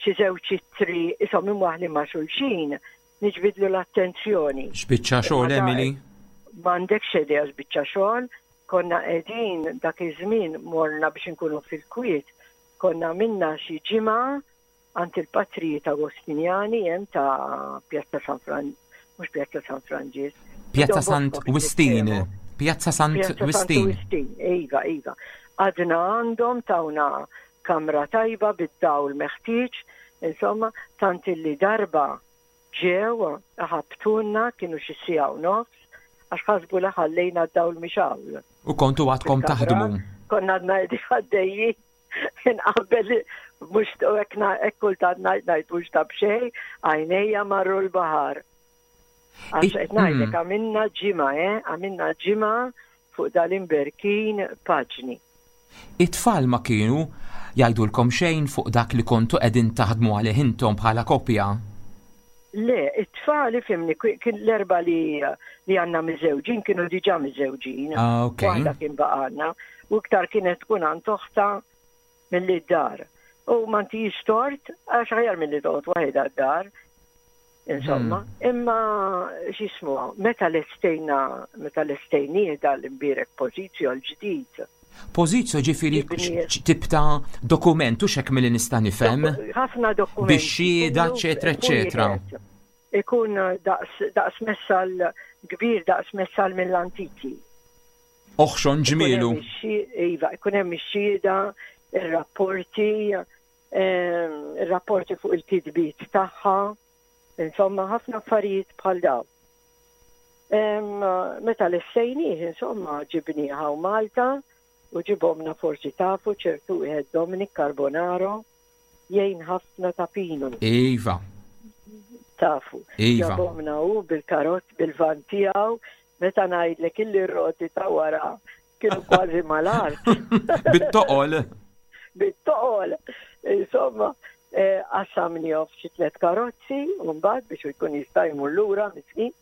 xi żewġ ittri ishom imwaħli ma' xulxin, niġbidlu l-attenzjoni. X'biċċa xogħol, Emily? M'għandekx idea x'biċċa xogħol, konna qegħdin dak iż-żmien morna biex inkunu fil-kwiet, konna minna xi ġimgħa għand il-patrijiet Agostinjani hemm ta' Pjazza San Fran, mhux Pjazza San Franġis. Pjazza Sant Wistin. Pjazza Sant Wistin. Iva, iva. Għadna għandhom tawna kamra tajba bid-dawl meħtieġ, insomma, tant illi darba ġew ħabtuna, kienu xi siegħa u nofs, għax ħasbu li ħallejna d-dawl mixgħul. U kontu għadkom taħdmu. Konna għadna għaddejjin. Nqabbel mhux hekk kultant ngħid ngħid mhux ta' b'xejn, għajnejja marru l-baħar. Għax qed ngħidlek mm. għamilna ġimgħa, eh, għamilna ġimgħa fuq dal-imberkin paġni. It-tfal ma kienu jgħidulkom xejn fuq dak li kontu qegħdin taħdmu għalih intom bħala koppja? Le, it-tfal ifhimni kien l-erba li li għandna miżewġin kienu diġà miżewġin. Ah, ok. Waħda kien baqgħalna u iktar kienet tkun għand oħtha milli d-dar. U ma ntix tort għax aħjar milli toqgħod waħedha d-dar. Insomma, hmm. imma x'jismu, meta lestejna, meta lestejnieh dal-imbierek pożizzjo l-ġdid. Pożizzjo ġifieri tip ta' dokument u xek milli nista' nifhem. Ħafna dokumenti. Bix-xhieda, eċetera, eċetera. Ikun daqs, daqs messal kbir, daqs messal mill-antiki. Oħxon ġmielu. Iva, ikun hemm ix-xhieda, ir-rapporti, ehm, ir-rapporti fuq il-kitbiet tagħha, insomma ħafna affarijiet bħal dawn. Meta lestejnieh, insomma, ġibnieh hawn Malta u ġibhomlna forsi tafu ċertu wieħed Dominic Carbonaro jgħin ħafna ta' Pinu. Iva. Tafu. Iva. Ġabhomlna hu bil-karozz bil-van tiegħu meta ngħidlek illi roti ta' wara kienu kważi mal-art. Bit-toqol. Bit-toqol. Insomma, qassamnieh f'xi tliet karozzi u mbagħad biex jkun jista' jmur lura miskin.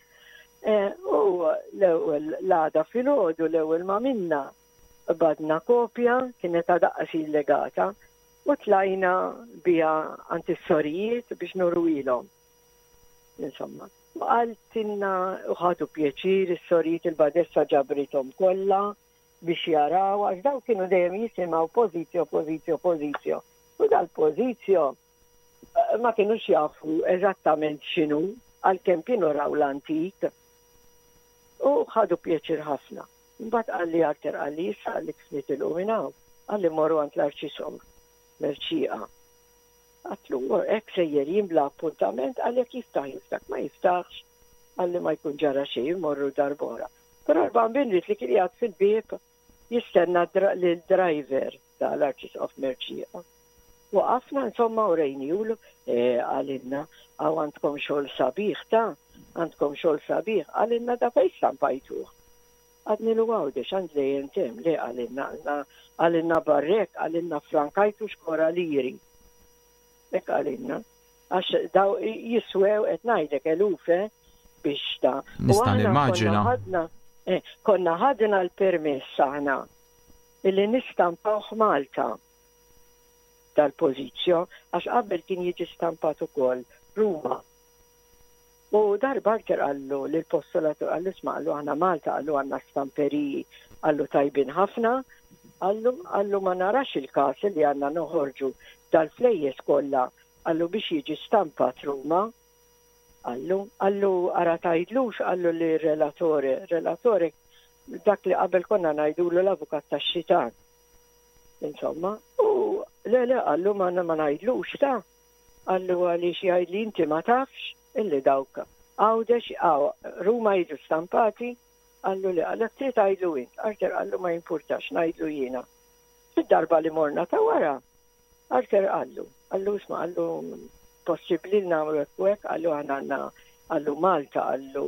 U l-ewwel l-għada filgħodu l-ewwel ma minna badna kopja kienet għadha illegata u tlajna biha għand is-sorijiet biex nuruhielhom. Insomma, u qaltilna u ħadu pjaċir is-sorijiet il-badessa ġabrithom kollha biex jaraw għax daw kienu dejjem jisimgħu pożizzjo, pożizzjo, pożizzjo. U dal-pożizzjo ma kienux jafu eżattament x'inhu għalkemm kienu raw l-antik. U ħadu pjaċir ħafna. Mbagħad qalli Arthur qalli issa qalli kif nitilqu minn hawn, qalli morru għand l-Arċisqof Mercieca. Għedtlu hekk sejjer jien bla appuntament qalli jekk jiftaħ jiftaħ ma jiftaħx qalli ma jkun ġara xejn morru darb'oħra. Però l-bambin li kien qiegħed fil-bieb jistenna lil-driver tal-Arċisqof Mercieca. Waqafna insomma u rejniehulu, qalilna, għaw għandkom xogħol sabiħ ta' għandkom xogħol sabiħ, qalilna da fejn stampajtuh. Għednielu Għawdex, għand l-A and M, le qalilna, qalilna barrek, qalilna frankajtu xkora liri. Hekk qalilna. Għax daw jiswew qed ngħidlek eluf biex ta' Nista' nimmaġina. Eh, konna ħadna l-permess aħna illi nistampawh Malta dal-pożizzjo għax qabel kien jiġi stampat ukoll Ruma. U darba Arthur qallu l-postulatur qallu isma' qallu aħna Malta qallu għandna stamperiji qallu tajbin ħafna qallu qallu ma narax il-kas li għandna noħorġu dal-flejjes kollha qallu biex jiġi stampat Ruma. Qallu, qallu ara tgħidlux qallu li relatore, relatore dak li qabel konna ngħidulu l-avukat tax-xitan. Insomma, u le le qallu ma ma ngħidlux ta' qallu għaliex jgħid li inti ma tafx illi dawk Għawdex għaw Ruma jiġu stampati qallu li għalek trid għidlu int, Arthur qallu ma jimpurtax ngħidlu jiena. Fid-darba li morna ta' wara, Arthur qallu, qallu isma' qallu possibbli li nagħmlu hekk u hekk, qallu aħna għandna qallu Malta, qallu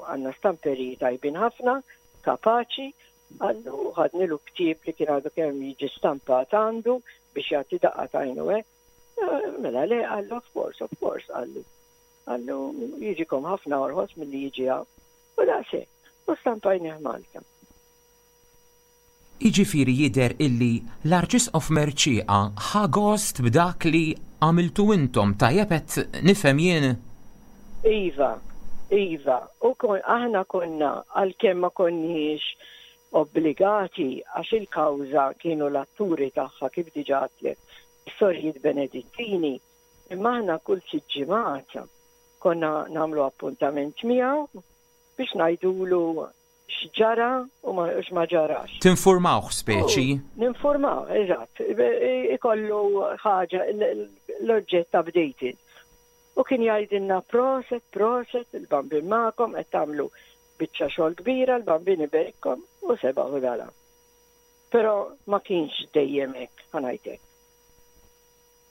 għandna stamperi tajbin ħafna, kapaċi, qallu ħadnilu ktieb li kien għadu kemm jiġi stampat għandu biex jagħti daqqa t'għajnu hekk. Mela le, qallu of course, of course, qallu. Qallu jiġikom ħafna orħos milli jiġi hawn. U daqshekk, u stampajnieh Malta. Iġifieri jidher illi l-Arċisqof Mercieca ħa gost b'dak li għamiltu intom tajjeb qed nifhem jien? Iva, iva, u kon, aħna konna għalkemm ma konniex obbligati għax il-kawża kienu l-atturi tagħha kif diġà għedtlek, is-sorijiet Benedittini, imma aħna kull sitt ġimgħat konna nagħmlu appuntament miegħu biex ngħidulu x'ġara u ma x'ma ġarax. Tinformawh speċi? Ninformaw, eżatt. Ikollu ħaġa l-oġġett updated. U kien jgħidilna proset, proset, il-bambin magħkom, qed tagħmlu biċċa xogħol kbira, l-bambin iberikkom u sebaħ u dala. Però ma kienx dejjem hekk, ħa ngħidlek.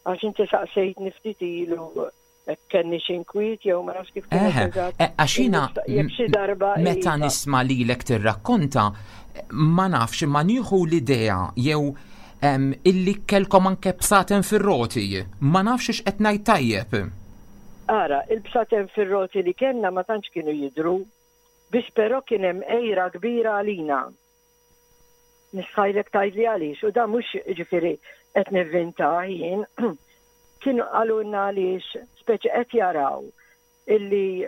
Għax inti saqsejtni ftit ilu kenni xinkwiet jew ma nafx kif kienet eżatt. Eh, għax jiena Jekk xi darba meta iva. nisma' lilek tirrakkonta, ma nafx, ma nieħu l-idea jew em, illi kellkom anke bsaten fir-roti. Ma nafx x'qed ngħid tajjeb. Ara, il-bsaten fir-roti li kellna ma tantx kienu jidru, biss però kien hemm għira kbira għalina. Nistħajlek tgħidli għaliex, u da mhux ġifieri qed nivvinta jien, kienu qalulna għaliex speċi qed jaraw illi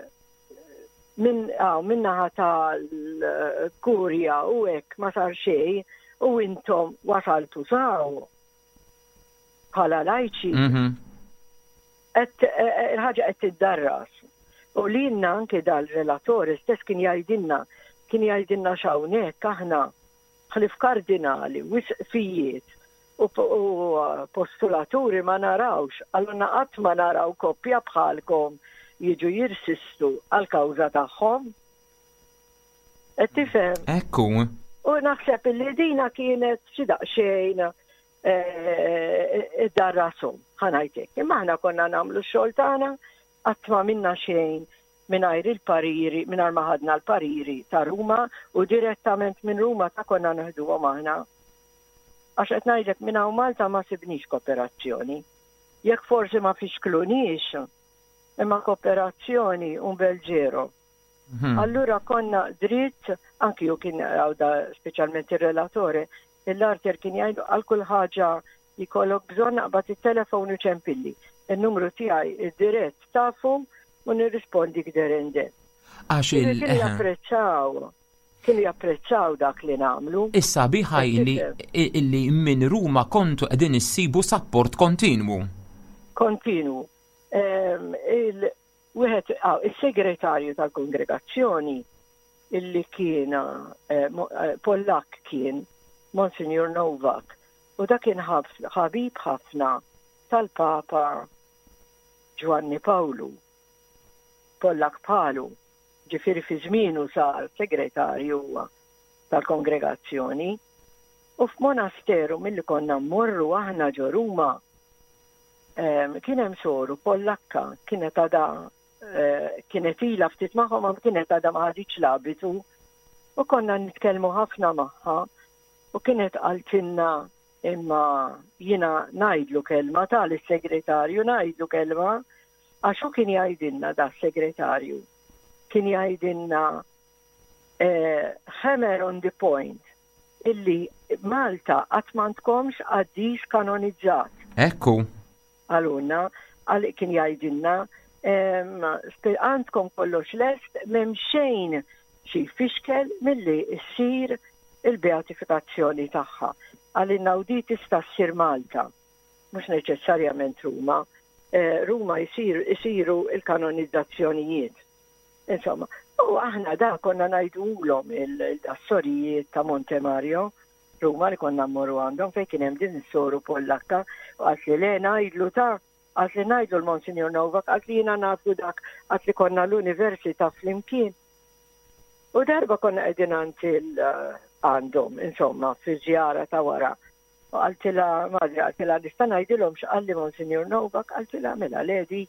minn għaw, min-naħa tal-kurja u hekk ma sar xejn u intom wasaltu s'hawn bħala lajċi. Mhm. Qed eh, il-ħaġa qed tiddarras. U lilna anke dal-relatori stess kien jgħidilna, kien jgħidilna x'hawnhekk aħna ħlif kardinali, isqfijiet u, u postulaturi ma narawx, għalluna qatt ma naraw koppja bħalkom jiġu jirsistu għal-kawża tagħhom. Qed tifhem? Ekku. U naħseb li dina kienet xi daqsxejn eh, id-darrashom, ħa ngħidlek. Imma aħna konna nagħmlu x-xogħol tagħna, qatt ma minna xejn mingħajr il-pariri, mingħajr ma ħadna l-pariri ta' Ruma u direttament minn Ruma ta' konna neħduhom aħna. Għax qed ngħidlek, minn hawn Malta ma sibniex kooperazzjoni. Jekk forsi ma fixkluniex, imma kooperazzjoni un bel ġero. Mhm. Allura konna dritt, anki ju kien għawda speċjalment il-relatore, l-arter kien jgħidu għal kull ħaġa jkollok bżonn naqbad il-telefon u ċempilli. Il-numru tiegħi id-dirett tafu u nirrispondi gderende. Għax il- Kienu japprezzaw, kienu japprezzaw dak li nagħmlu. Issa biħa illi, illi minn Ruma kontu qegħdin issibu support kontinwu. Kontinu. Ehm, il- Wieħed, ah, il-segretarju tal-kongregazzjoni illi kien eh, mo- eh, Pollak kien Monsignor Novak, u dak kien ħab- ħabib ħafna tal-Papa Giovanni Pawlu. Pollak bħalu, ġifieri fi żmienu sar segretarju huwa tal-kongregazzjoni. U f'monasteru milli konna mmorru aħna ġo Ruma, em, kien hemm soru Pollakka, kienet għada eh, kienet ila ftit magħhom, ma kienet għada ma ħaditx l-abitu, u konna nitkellmu ħafna magħha u kienet qaltilna, imma jiena ngħidlu kelma tal-segretarju, ngħidlu kelma, għax hu kien jgħidilna, da segretarju kien jgħidilna eh, hammer on the point illi Malta qatt m'għandkomx qaddis kanonizzat. Ekku. Għalunna, għal kien jgħidilna, em, spe- għandkom kollox lest, m'hemm xejn xi fixkel milli ssir il-beatifikazzjoni tagħha. Għalina u di tista' ssir Malta, mhux neċessarjament Ruma. Eh, Ruma jsir, isiru il-kanonizzazzjonijiet. Insomma, u aħna da konna ngħidulhom il-sorijiet ta' Monte Mario, Ruma, li konna mmorru għandhom fejn kien hemm din is-soru Pollakka, u qalt li le, ngħidlu ta' qalt li ngħidlu l-Monsignor Novak, qalt li jiena nafu dak, qalt li konna l-università flimkien. U darba konna qegħdin għand il- għandhom, insomma, fi żjara ta' wara. U qaltilha, madre, qaltilha, nista' ngħidilhom x'qalli Monsignor Novak? Qaltilha, mela ledi,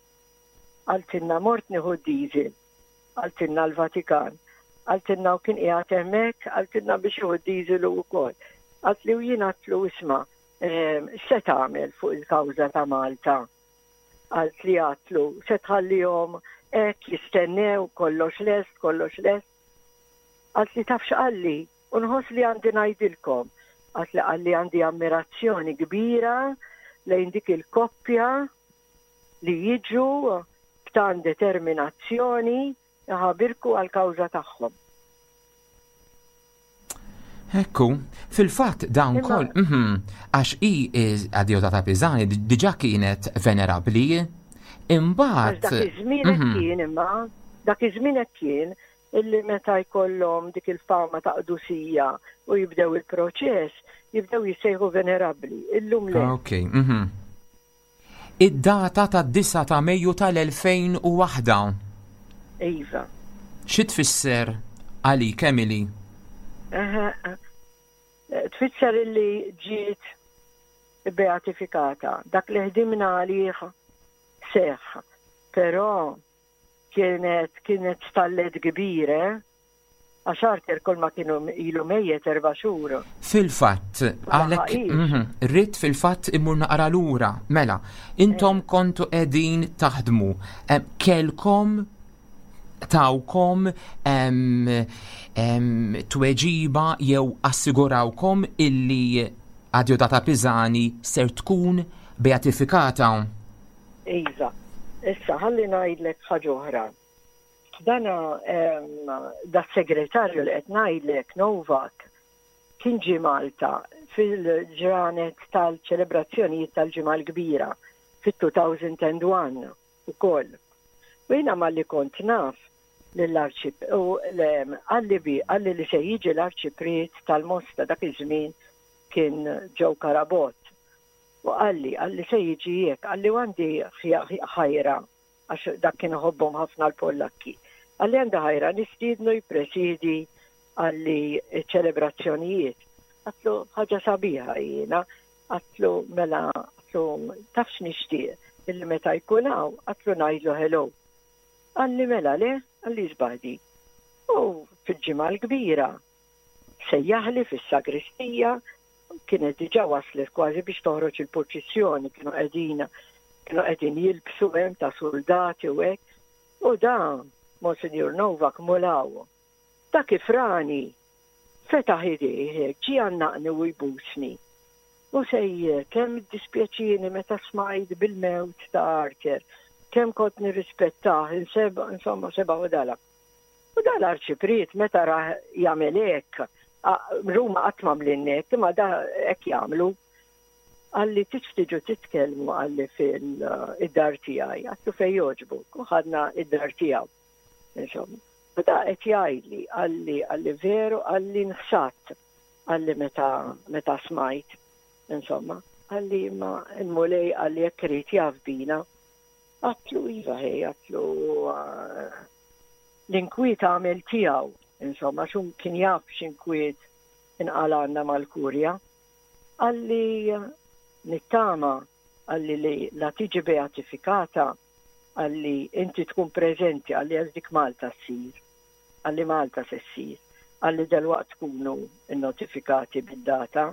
qaltilna mort nieħu diesel, qaltilna l-Vatikan, qaltilna u kien qiegħed hemmhekk, qaltilna biex jieħu diesel u wkoll. Qalt li u jien għedtlu, isma', ehm, se tagħmel fuq il-kawża ta' Malta? Qalt li għedtlu, se tħallihom hekk jistennew, kollox lest, kollox lest? Qalt li taf x'qalli, u nħoss li għandi ngħidilkom. Qalt li qalli għandi ammirazzjoni kbira lejn dik il-koppja li jiġu b'tan determinazzjoni jħabirku għal-kawża tagħhom. Ekku, fil-fatt dawn Imma- kol, mhm, għax i Adeodata Pisani diġa kienet venerabli, Għax imbagħad. dak iż-żmien hekk Mhm. kien, imma dak iż-żmien hekk kien illi meta jkollhom dik il-fama ta' qdusija u jibdew il-proċess, jibdew jissejħu venerabbli. Illum le. Ok, mhm. Id-data ta' disgħa ta' Mejju tal-elfejn u waħda. Iva. Xi tfisser għalik, Emily? Eħe, eh, Tfisser illi ġiet Beatifikata. Dak li ħdimna għalih seħ. Però kienet kienet stallet kbira, eh? Għax Arthur kull ma kienu ilu mejjet erba' xhur. Fil-fatt, għalek, mhm, rrid fil-fatt immur naqra lura. Mela, intom eh. kontu qegħdin taħdmu. Kelkom tawkom tweġiba jew assigurawkom illi Adeodata Pisani ser tkun beatifikata? Iva, issa ħalli ngħidlek ħaġa oħra. Dana da segretarju li qed ngħidlek, Novak, kien ġie Malta fil-ġranet tal-ċelebrazzjonijiet tal-Ġimgħa l-Kbira fit-elfejn u wieħed ukoll. U jiena malli kont naf l-arċip u qalli bi qalli li se jiġi l-arċipriet tal-Mosta, dak iż-żmien kien Joe Carabott. U qalli, qalli se jiġi jek, qalli għandi ħajra, għax dak kien iħobbhom ħafna l-Pollakki. Qalli għandi ħajra nistiednu jippresidi, qalli, ċelebrazzjonijiet. Għedtlu ħaġa sabiħa jiena, għedtlu mela, għedtlu tafx nixtieq, illi meta jkun hawn, għedtlu ngħidlu hello. Qalli mela le, qalli żbadi. U fil-Ġimgħa l-Kbira, sejjaħli fis-sagristija, kienet diġà waslet kważi biex toħroġ il-purċissjoni, kienu qegħdin kienu qegħdin jilbsu hemm ta' soldati u hekk. U da Monsignor Novak mulaw. Ta' kif rani fetaħ idejh, ġie għannaqni u jbusni. U sejjer, kemm dispjaċini meta smajt bil-mewt ta' Arthur, kemm kont nirrispettah, inseba, insomma, seba u dala. U dal-arċipriet meta ra jagħmel hekk, Ruma qatt m'għamlilna, imma da hekk jagħmlu. Qalli tiġu titkellmu, qalli, fil-dar tiegħi, għedtlu fejn jogħġbu, u ħadna id-dar tiegħu. Insomma, u da qed jgħidli, qalli qalli veru, qalli nħsadt, qalli meta meta smajt, insomma, qalli ma il-Mulej, qalli jekk irid jaf bina. Għedtlu iva ħej, għedtlu l-inkwiet għamel tiegħu, insomma, xum kien jaf x'inkwiet inqalanna mal-kurja. Qalli nittama, qalli li la tiġi beatifikata, qalli inti tkun preżenti, qalli għax dik Malta ssir. Qalli Malta se ssir. Qalli dalwaqt tkunu notifikati bid-data,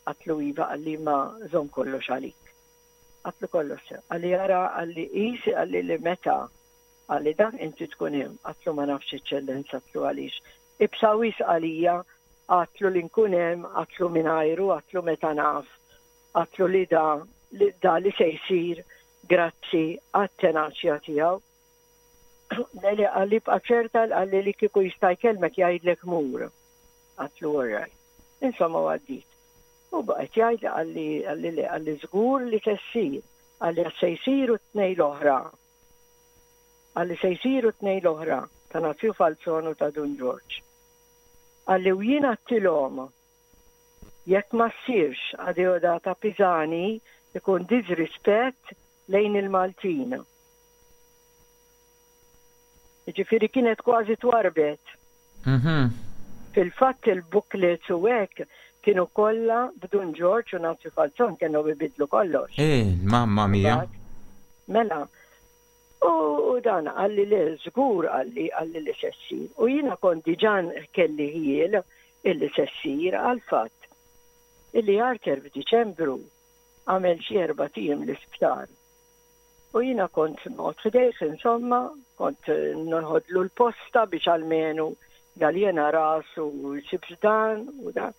għedtlu iva, qalli ma żomm kollox għalik. Għedtlu kollox. Qalli jara, qalli isi, qalli li meta, qalli dan inti tkun hemm, għedtlu ma nafx, Eċċellenza, għedtlu għaliex. Iebsa wisq għalija, għedtlu li nkun hemm, għedtlu mingħajru, għedtlu meta naf, għedtlu li da, li da li se jsir grazzi għat-tenaċja tiegħu. Leli, qalli bqa' ċerta, qalli li kieku jista' jkellmek jgħidlek mur. Għedtlu all Insomma, għaddit. U baqgħet jgħid, qalli qalli li qalli żgur li se ssir, qalli se jsiru t-tnejn l-oħra. Qalli se jsiru t-tnejn l-oħra ta' Nazju Falzon u ta' Dun George. Qalli u jien għedtilhom jekk ma ssirx Adeodata Pisani ikun disrispett lejn il-Maltin. Ġifieri kienet kważi twarbet. Mhm. Fil-fatt il-booklets u hekk kienu kollha b'Dun George u Nazju Falzon, kienu bibidlu kollox. Eh, mamma mia. Mela, u dan qalli li żgur, qalli qalli li se ssir. U jiena kont diġà kelli ħjiel illi se ssir għal-fatt illi Arthur f'Diċembru għamel xi erbat ijiem l-isptar. U jiena kont noqgħod ħdejh, insomma, kont noħodlu l-posta biex almenu jaljena rasu u jsib dan u dan.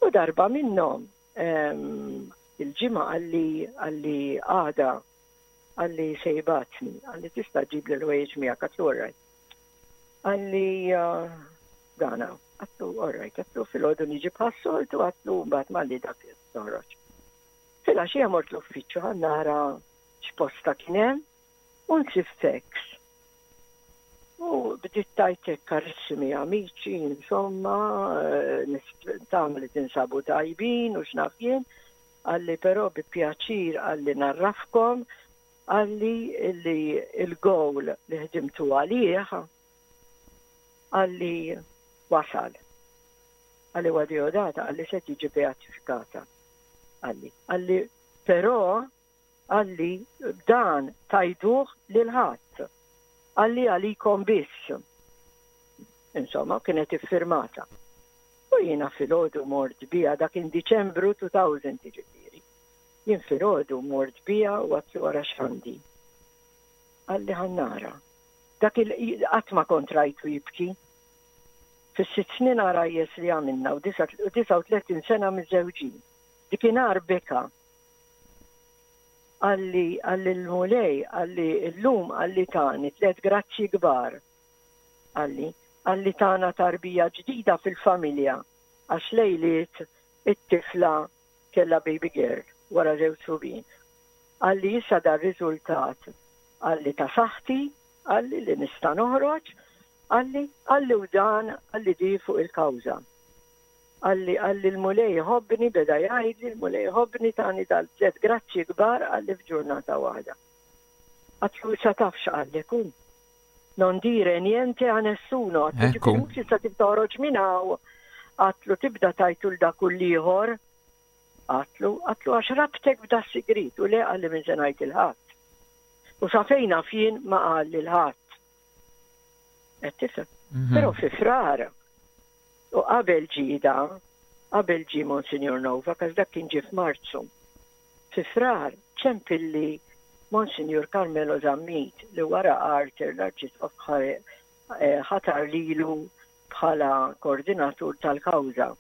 U darba minnhom il-ġimgħa qalli qalli għada, qalli se jibgħatni, qalli tista' ġib l-ħwejjeġ miegħek, għedtlu alright. Qalli dana, għedtlu alright, għedtlu filgħodu niġi bħas-soltu, għedtlu mbagħad malli dak toħroġ. Filgħaxija mort l-uffiċċju ħa nara x'posta kien hemm u nsib fax. U bdiet tgħid "Karissimi amici", insomma, nittama li tinsabu tajbin u x'naf jien, qalli però bi pjaċir, qalli ngħarrafkom, qalli li il-goal li ħdimtu għalih, qalli wasal. Qalli Adeodata, qalli se tiġi beatifikata. Qalli, qalli, però, qalli, dan tgħiduh lil ħadd. Qalli għalikom biss. Insomma, kienet iffirmata. U jiena filgħodu mort biha, dak in Diċembru elfejn, ġifieri. Jien filgħodu mort biha u għedtlu ara x'għandi. Qalli ħa nara. Dak il qatt ma kont rajtu jibki. Fis-sitt snin għarajjes li għamilna u disgħa u tletin sena miżżewġin. Dakinhar beka. Qalli, qalli l-Mulej, qalli l-lum, qalli tani tlet grazzi kbar. Qalli, qalli tana tarbija ġdida fil-familja, għax lejliet it-tifla kella baby girl wara żewġ subien. Qalli issa dar riżultat, qalli ta' saħħti, qalli li nista' noħroġ, qalli, qalli u dan, qalli di fuq il-kawża. Qalli, qalli l-Mulej ħobbni, beda jgħidli, l-Mulej ħobbni tani dal-tlet grazzi kbar, qalli f'ġurnata waħda. Għedtlu sa taf x'qallek hu? "Non dire niente a nessuno." Għedtlu Ekku. ġifieri mhux issa tibda toħroġ minn hawn. Għedtlu tibda tgħidu 'l dak u l-ieħor. Għedtlu, għedtlu għax rabtek b'da sigriet u le, qalli minn se ngħid lil ħadd. U sa fejn naf jien ma qal lil ħadd. Qed tifhem? Mhm. Però fi Frar u qabel ġida, qabel ġi Monsignor Nova, għax dak kien ġie f'Marzu. Fi Frar ċempilli Monsignor Carmelo Zammit li wara Arthur l-Arċisqof eh, ħatar lilu bħala koordinatur tal-kawża.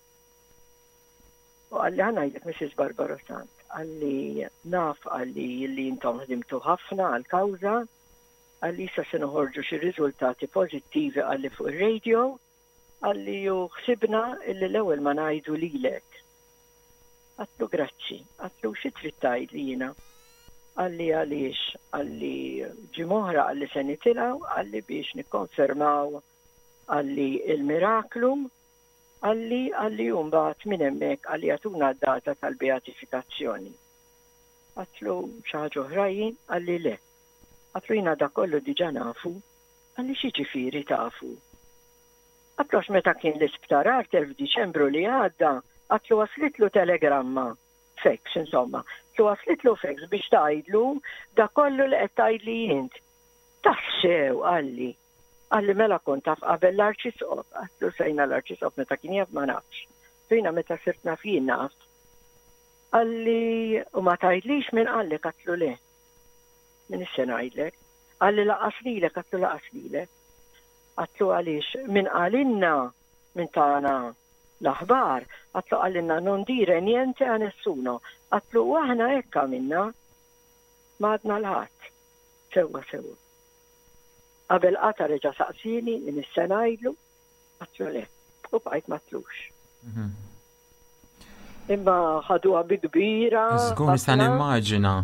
U qalli ħa ngħidlek, Missus Barbara Sant, qalli naf, qalli li intom ħdimtu ħafna għal-kawża, qalli issa se noħorġu xi riżultati pożittivi, qalli fuq ir-radio, qalli u ħsibna illi l-ewwel ma ngħidu lilek. Għedtlu grazzi, għedtlu xi trid tgħidli jiena? Qalli għaliex, qalli ġimgħa oħra, qalli se nitilgħu, qalli biex nikkonfermaw, qalli il-miraklu, qalli qalli mbagħad minn hemmhekk, qalli jagħtuna d-data tal-beatifikazzjoni. Għedtlu xi ħaġa oħra jien? Qalli le. Għedtlu jiena da kollu diġà nafu. Qalli x'jiġifieri tafu? Għedtlu għax meta kien l-isptar Arthur f'Diċembru li għadda, għedtlu waslitlu telegramma, fax insomma, għedtlu waslitlu fax biex tgħidlu da kollu li qed tgħidli int. Tassew, qalli. Qalli mela kont taf qabel l-Arċisqof. Għedtlu sejna l-Arċisqof meta kien jaf ma nafx. Fejna meta sirt naf jien naf. Qalli u ma tgħidlix min qallek? Għedtlu le. Min issa ngħidlek? Qalli lanqas lilek? Għedtlu lanqas lilek. Għedtlu għaliex min qalilna, min tana l-aħbar, għedtlu qalilna "non dire niente a nessuno". Għedtlu u aħna hekk għamilna, ma għedna lil ħadd. Sewwa sewwa. Qabel qata' reġa' saqsini min issa ngħidlu, għedtlu le. U bqajt ma għedtlux. Mhm. Imma ħaduha bi kbira. Żgur nista' ħafna. nimmaġina.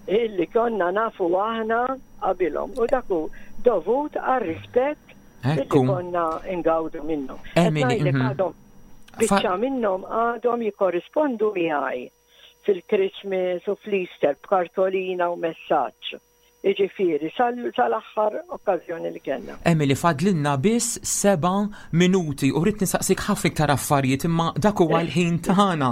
Illi konna nafu aħna qabilhom. U dak hu dovut għar-rispett illi Ekku. konna ingawdu minnhom. Emily, Qed ngħidlek mhm. għadhom biċċa minnhom għadhom jikorrispondu miegħi fil-Christmas u fl-Easter b'kartolina u messaġġ. Iġifieri, sal-aħħar okkażjoni li kellna. Emily, fadlilna biss seba' minuti u rrid nistaqsik ħafna iktar affarijiet imma dak huwa l-ħin tagħna.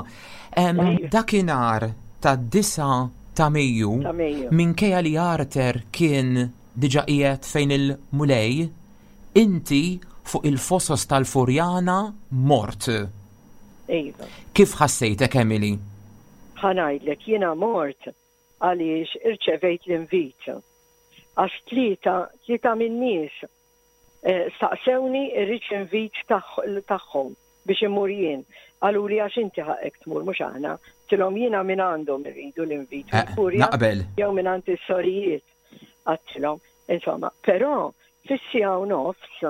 Em, Dakinhar tad-disgħa ta' Mejju, Ta' Mejju. minkejja li Arthur kien diġà qiegħed fejn il-Mulej, inti fuq il-fosos tal-Furjana mort. Iva. Kif ħassejtek, Emily? Ħa ngħidlek, jiena mort għaliex irċevejt l-invit. Għax tlieta, tlieta min-nies eh, staqsewni irridx invit tagħhom biex imur jien. Qaluli li għax inti ħaqek tmur mhux aħna. Għedtilhom jiena minn għandhom irridu l-invit. Eh, Il-kurja naqbel. jew minn għand is-sorijiet. Għedtilhom, insomma, però fis-siegħa u nofs,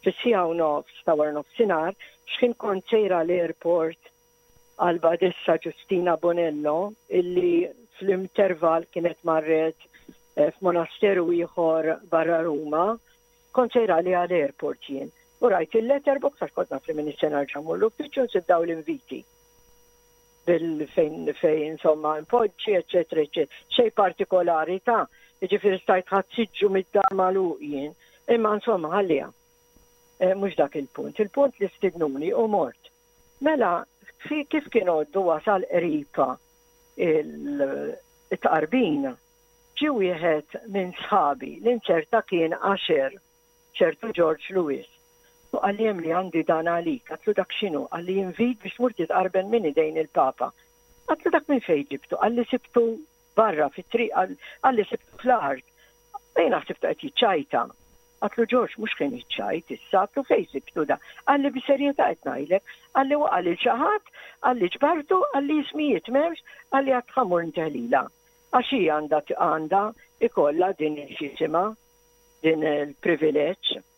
fis-siegħa u nofs ta' wara nofsinhar, x'kien kont sejra l-airport għal-Badessa Giustina Bonello, illi fl-interval kienet marret eh, f'monasteru ieħor barra Ruma, kont sejra li għal-airport jien. U rajt il-letterbox għax kont naf li minn is-sena ġamur l-uffiċċju nsib daw l-inviti. Bil fejn fejn insomma impoġġi, eccetera, eccetera. Xej partikolari ta' ġifieri stajt ħadd siġġu mid-dar magħluq jien, imma insomma ħallija. Eh, Mhux dak il-punt. Il-punt li stidnuni u mort. Mela, fi kif kien għoddu wasal qripa Il-tqarbin ġie wieħed minn sħabi li nċerta kien usher, ċertu George Lewis. U qalli, "Li għandi dan għalik." Għedtlu, "Dak x'inhu?" Qalli, "Invit biex tmur titqarben minn idejn il-Papa." Għedtlu, "Dak minn fejn ġibtu?" Qalli, "Sibtu barra fit-triq," qalli, "sibtu fl-art." Jiena ħsibtu qed jiċċajta. Għedtlu, "George, mhux kien jiċċajt issa," għedtlu, "fejn sibtu da?" Qalli, "Bis-serjetà qed ngħidlek," qalli, "waqa' lil xi ħadd," qalli, "ġbartu," qalli, "ismijiet m'hemmx," qalli, "għad ħa mmur inteħlila. Għax hi għandha għandha ikollha din il-xisima, din il-privileġġ."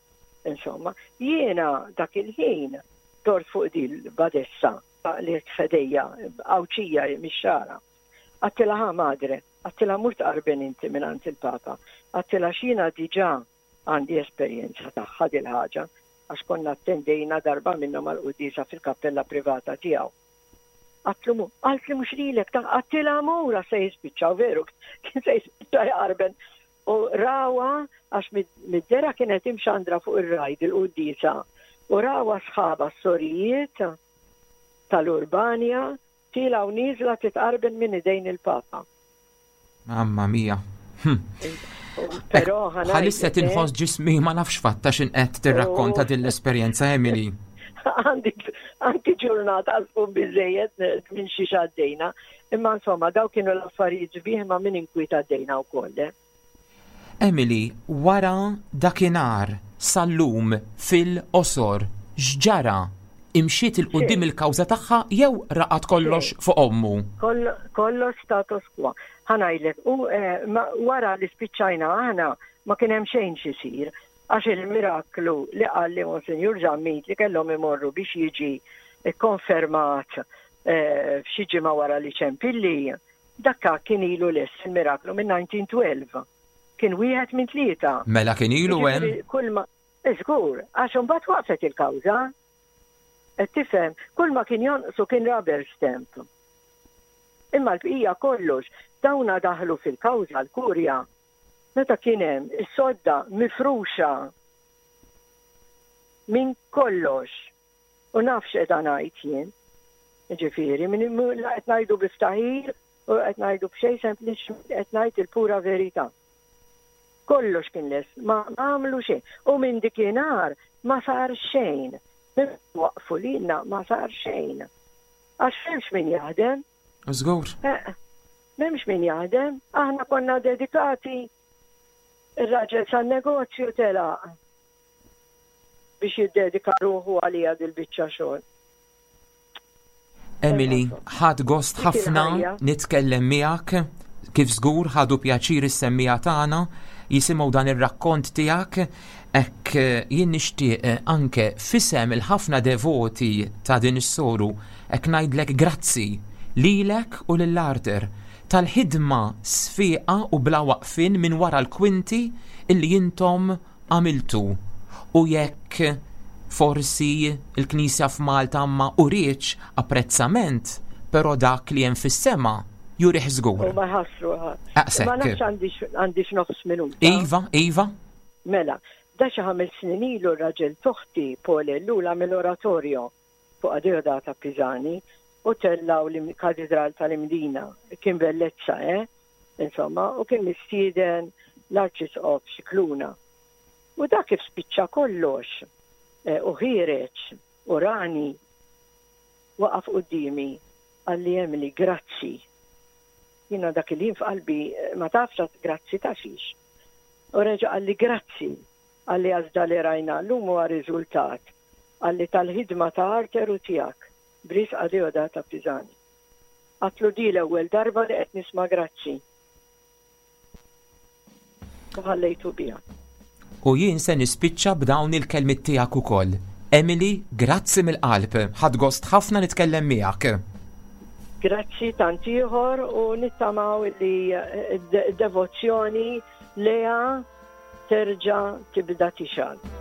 Insomma, jiena dak il-ħin dort fuq din l-badessa li ħdejja, Għawdxija mix-Xagħra. Għedtilha, "Ħa madre," għedtilha, "mur tqarben inti minn il-Papa." Għedtilha, "Jiena diġà għandi esperjenza tagħha dil-ħaġa għax konna attendejna darba minnhom għal-quddiesa fil-kappella privata tiegħu." Għedtlu mur, qaltli, "Mhux lilek," ta' għedtilha, "mur se jispiċċaw," veru, kien se jispiċċa jqarben. U rawha għax mid-dera kienet imxandra fuq ir-Rai il-quddiesa. U rawha sħabha s-sorijiet tal-Urbania tielgħa u nieżla titqarben minn idejn il-Papa. Mamma mia. Hm. Però Bħalissa tinħoss ġismi ma nafx fatta x'in qed tirrakkonta din l-esperjenza, Emily. Għandi ġurnata għal biżejjed minn xi għaddejna. Imma insomma, daw kienu l-affarijiet sbieħ ma minn inkwiet għaddejna wkoll. Eh. Emily, wara dakinhar sal-lum fil-qosor, x'ġara? Imxiet 'il quddiem il-kawża tagħha jew raqad kollox fuq ommu? Kollox status quo. Ħa ngħidlek, u eh, wara li spiċċajna aħna ma kien hemm xejn xisir, għax il-miraklu li qalli Monsinjur Zammit li kellhom imorru biex jiġi konfermat eh, f'xi ġimgħa wara li ċempilli, dakka kien ilu lest il-miraklu minn elf disa' mija u tnax. Kien wieħed minn tlieta. Mela kien ilu hemm. Kull ma Żgur, għax imbagħad waqfet il-kawża. Qed tifhem, kull ma kien jonqsu kien rubber stamp. Imma l-bqija kollox, dawna daħlu fil-kawża l-kurja. Meta kien hemm is-sodda mifruxa minn kollox. U naf x'qed ngħid jien. Ġifieri, minn la qed ngħidu biftaħir u qed ngħidu b'xejn, sempliċi qed ngħid il-pura verità. Kollox kien lest, ma għamlu xejn. U minn dikinhar ma sar xejn. Minn waqfu lilna ma sar xejn. Għax m'hemmx min jaħdem. Żgur. Eh, m'hemmx min jaħdem, aħna konna dedikati. Ir-raġel san-negozju telaq biex jiddedika ruħu għalija dil-biċċa xogħol. Emily, ħadt gost Dik ħafna il-ħajja. nitkellem miegħek, kif żgur ħadu pjaċir is-semmiegħa tagħna jisimgħu dan ir-rakkont tiegħek. Hekk eh, jien nixtieq eh, anke f'isem il-ħafna devoti ta' din is-soru hekk ngħidlek grazzi lilek u lil Arthur tal-ħidma sfiqa u bla waqfin minn wara l-kwinti illi intom għamiltu, u jekk forsi il-Knisja f'Malta ma urietx apprezzament, però dak li hemm fis-sema jurih żgur. U ma ħassru ħadd. Aqsek. Ma nafx għandix għandix nofs minuta. Iva, Iva. Mela, da xi ħames snin ilu r-raġel t'oħti Paul Ellul mill-oratorio fuq Adeodata Pisani u tellaw l-Katedral tal-Imdina. Kien bellezza, eh? Insomma, u kien mistieden l-Arċisqof Scicluna. U da kif spiċċa kollox eh, u ħiereġ u rani waqaf quddiemi, qalli, "Emily, grazzi." Jiena dak il f'qalbi eh, ma tafx grazzi ta' xiex. U reġa qalli, "Grazzi," qalli, "għax li rajna llum huwa riżultat," qalli, "tal-ħidma ta' Arthur u tiegħek b'risq Adeodata Pisani." Għedtlu, "Di l-ewwel darba li qed nisma' grazzi." U ħallejtu biha. U jien se nispiċċa b'dawn il-kelmiet tiegħek ukoll. Emily, grazzi mill-qalb. Ħadt gost ħafna nitkellem miegħek. Grazzi tant ieħor u nittamaw li eh, devozzjoni lejha terġa' tibda tixgħel.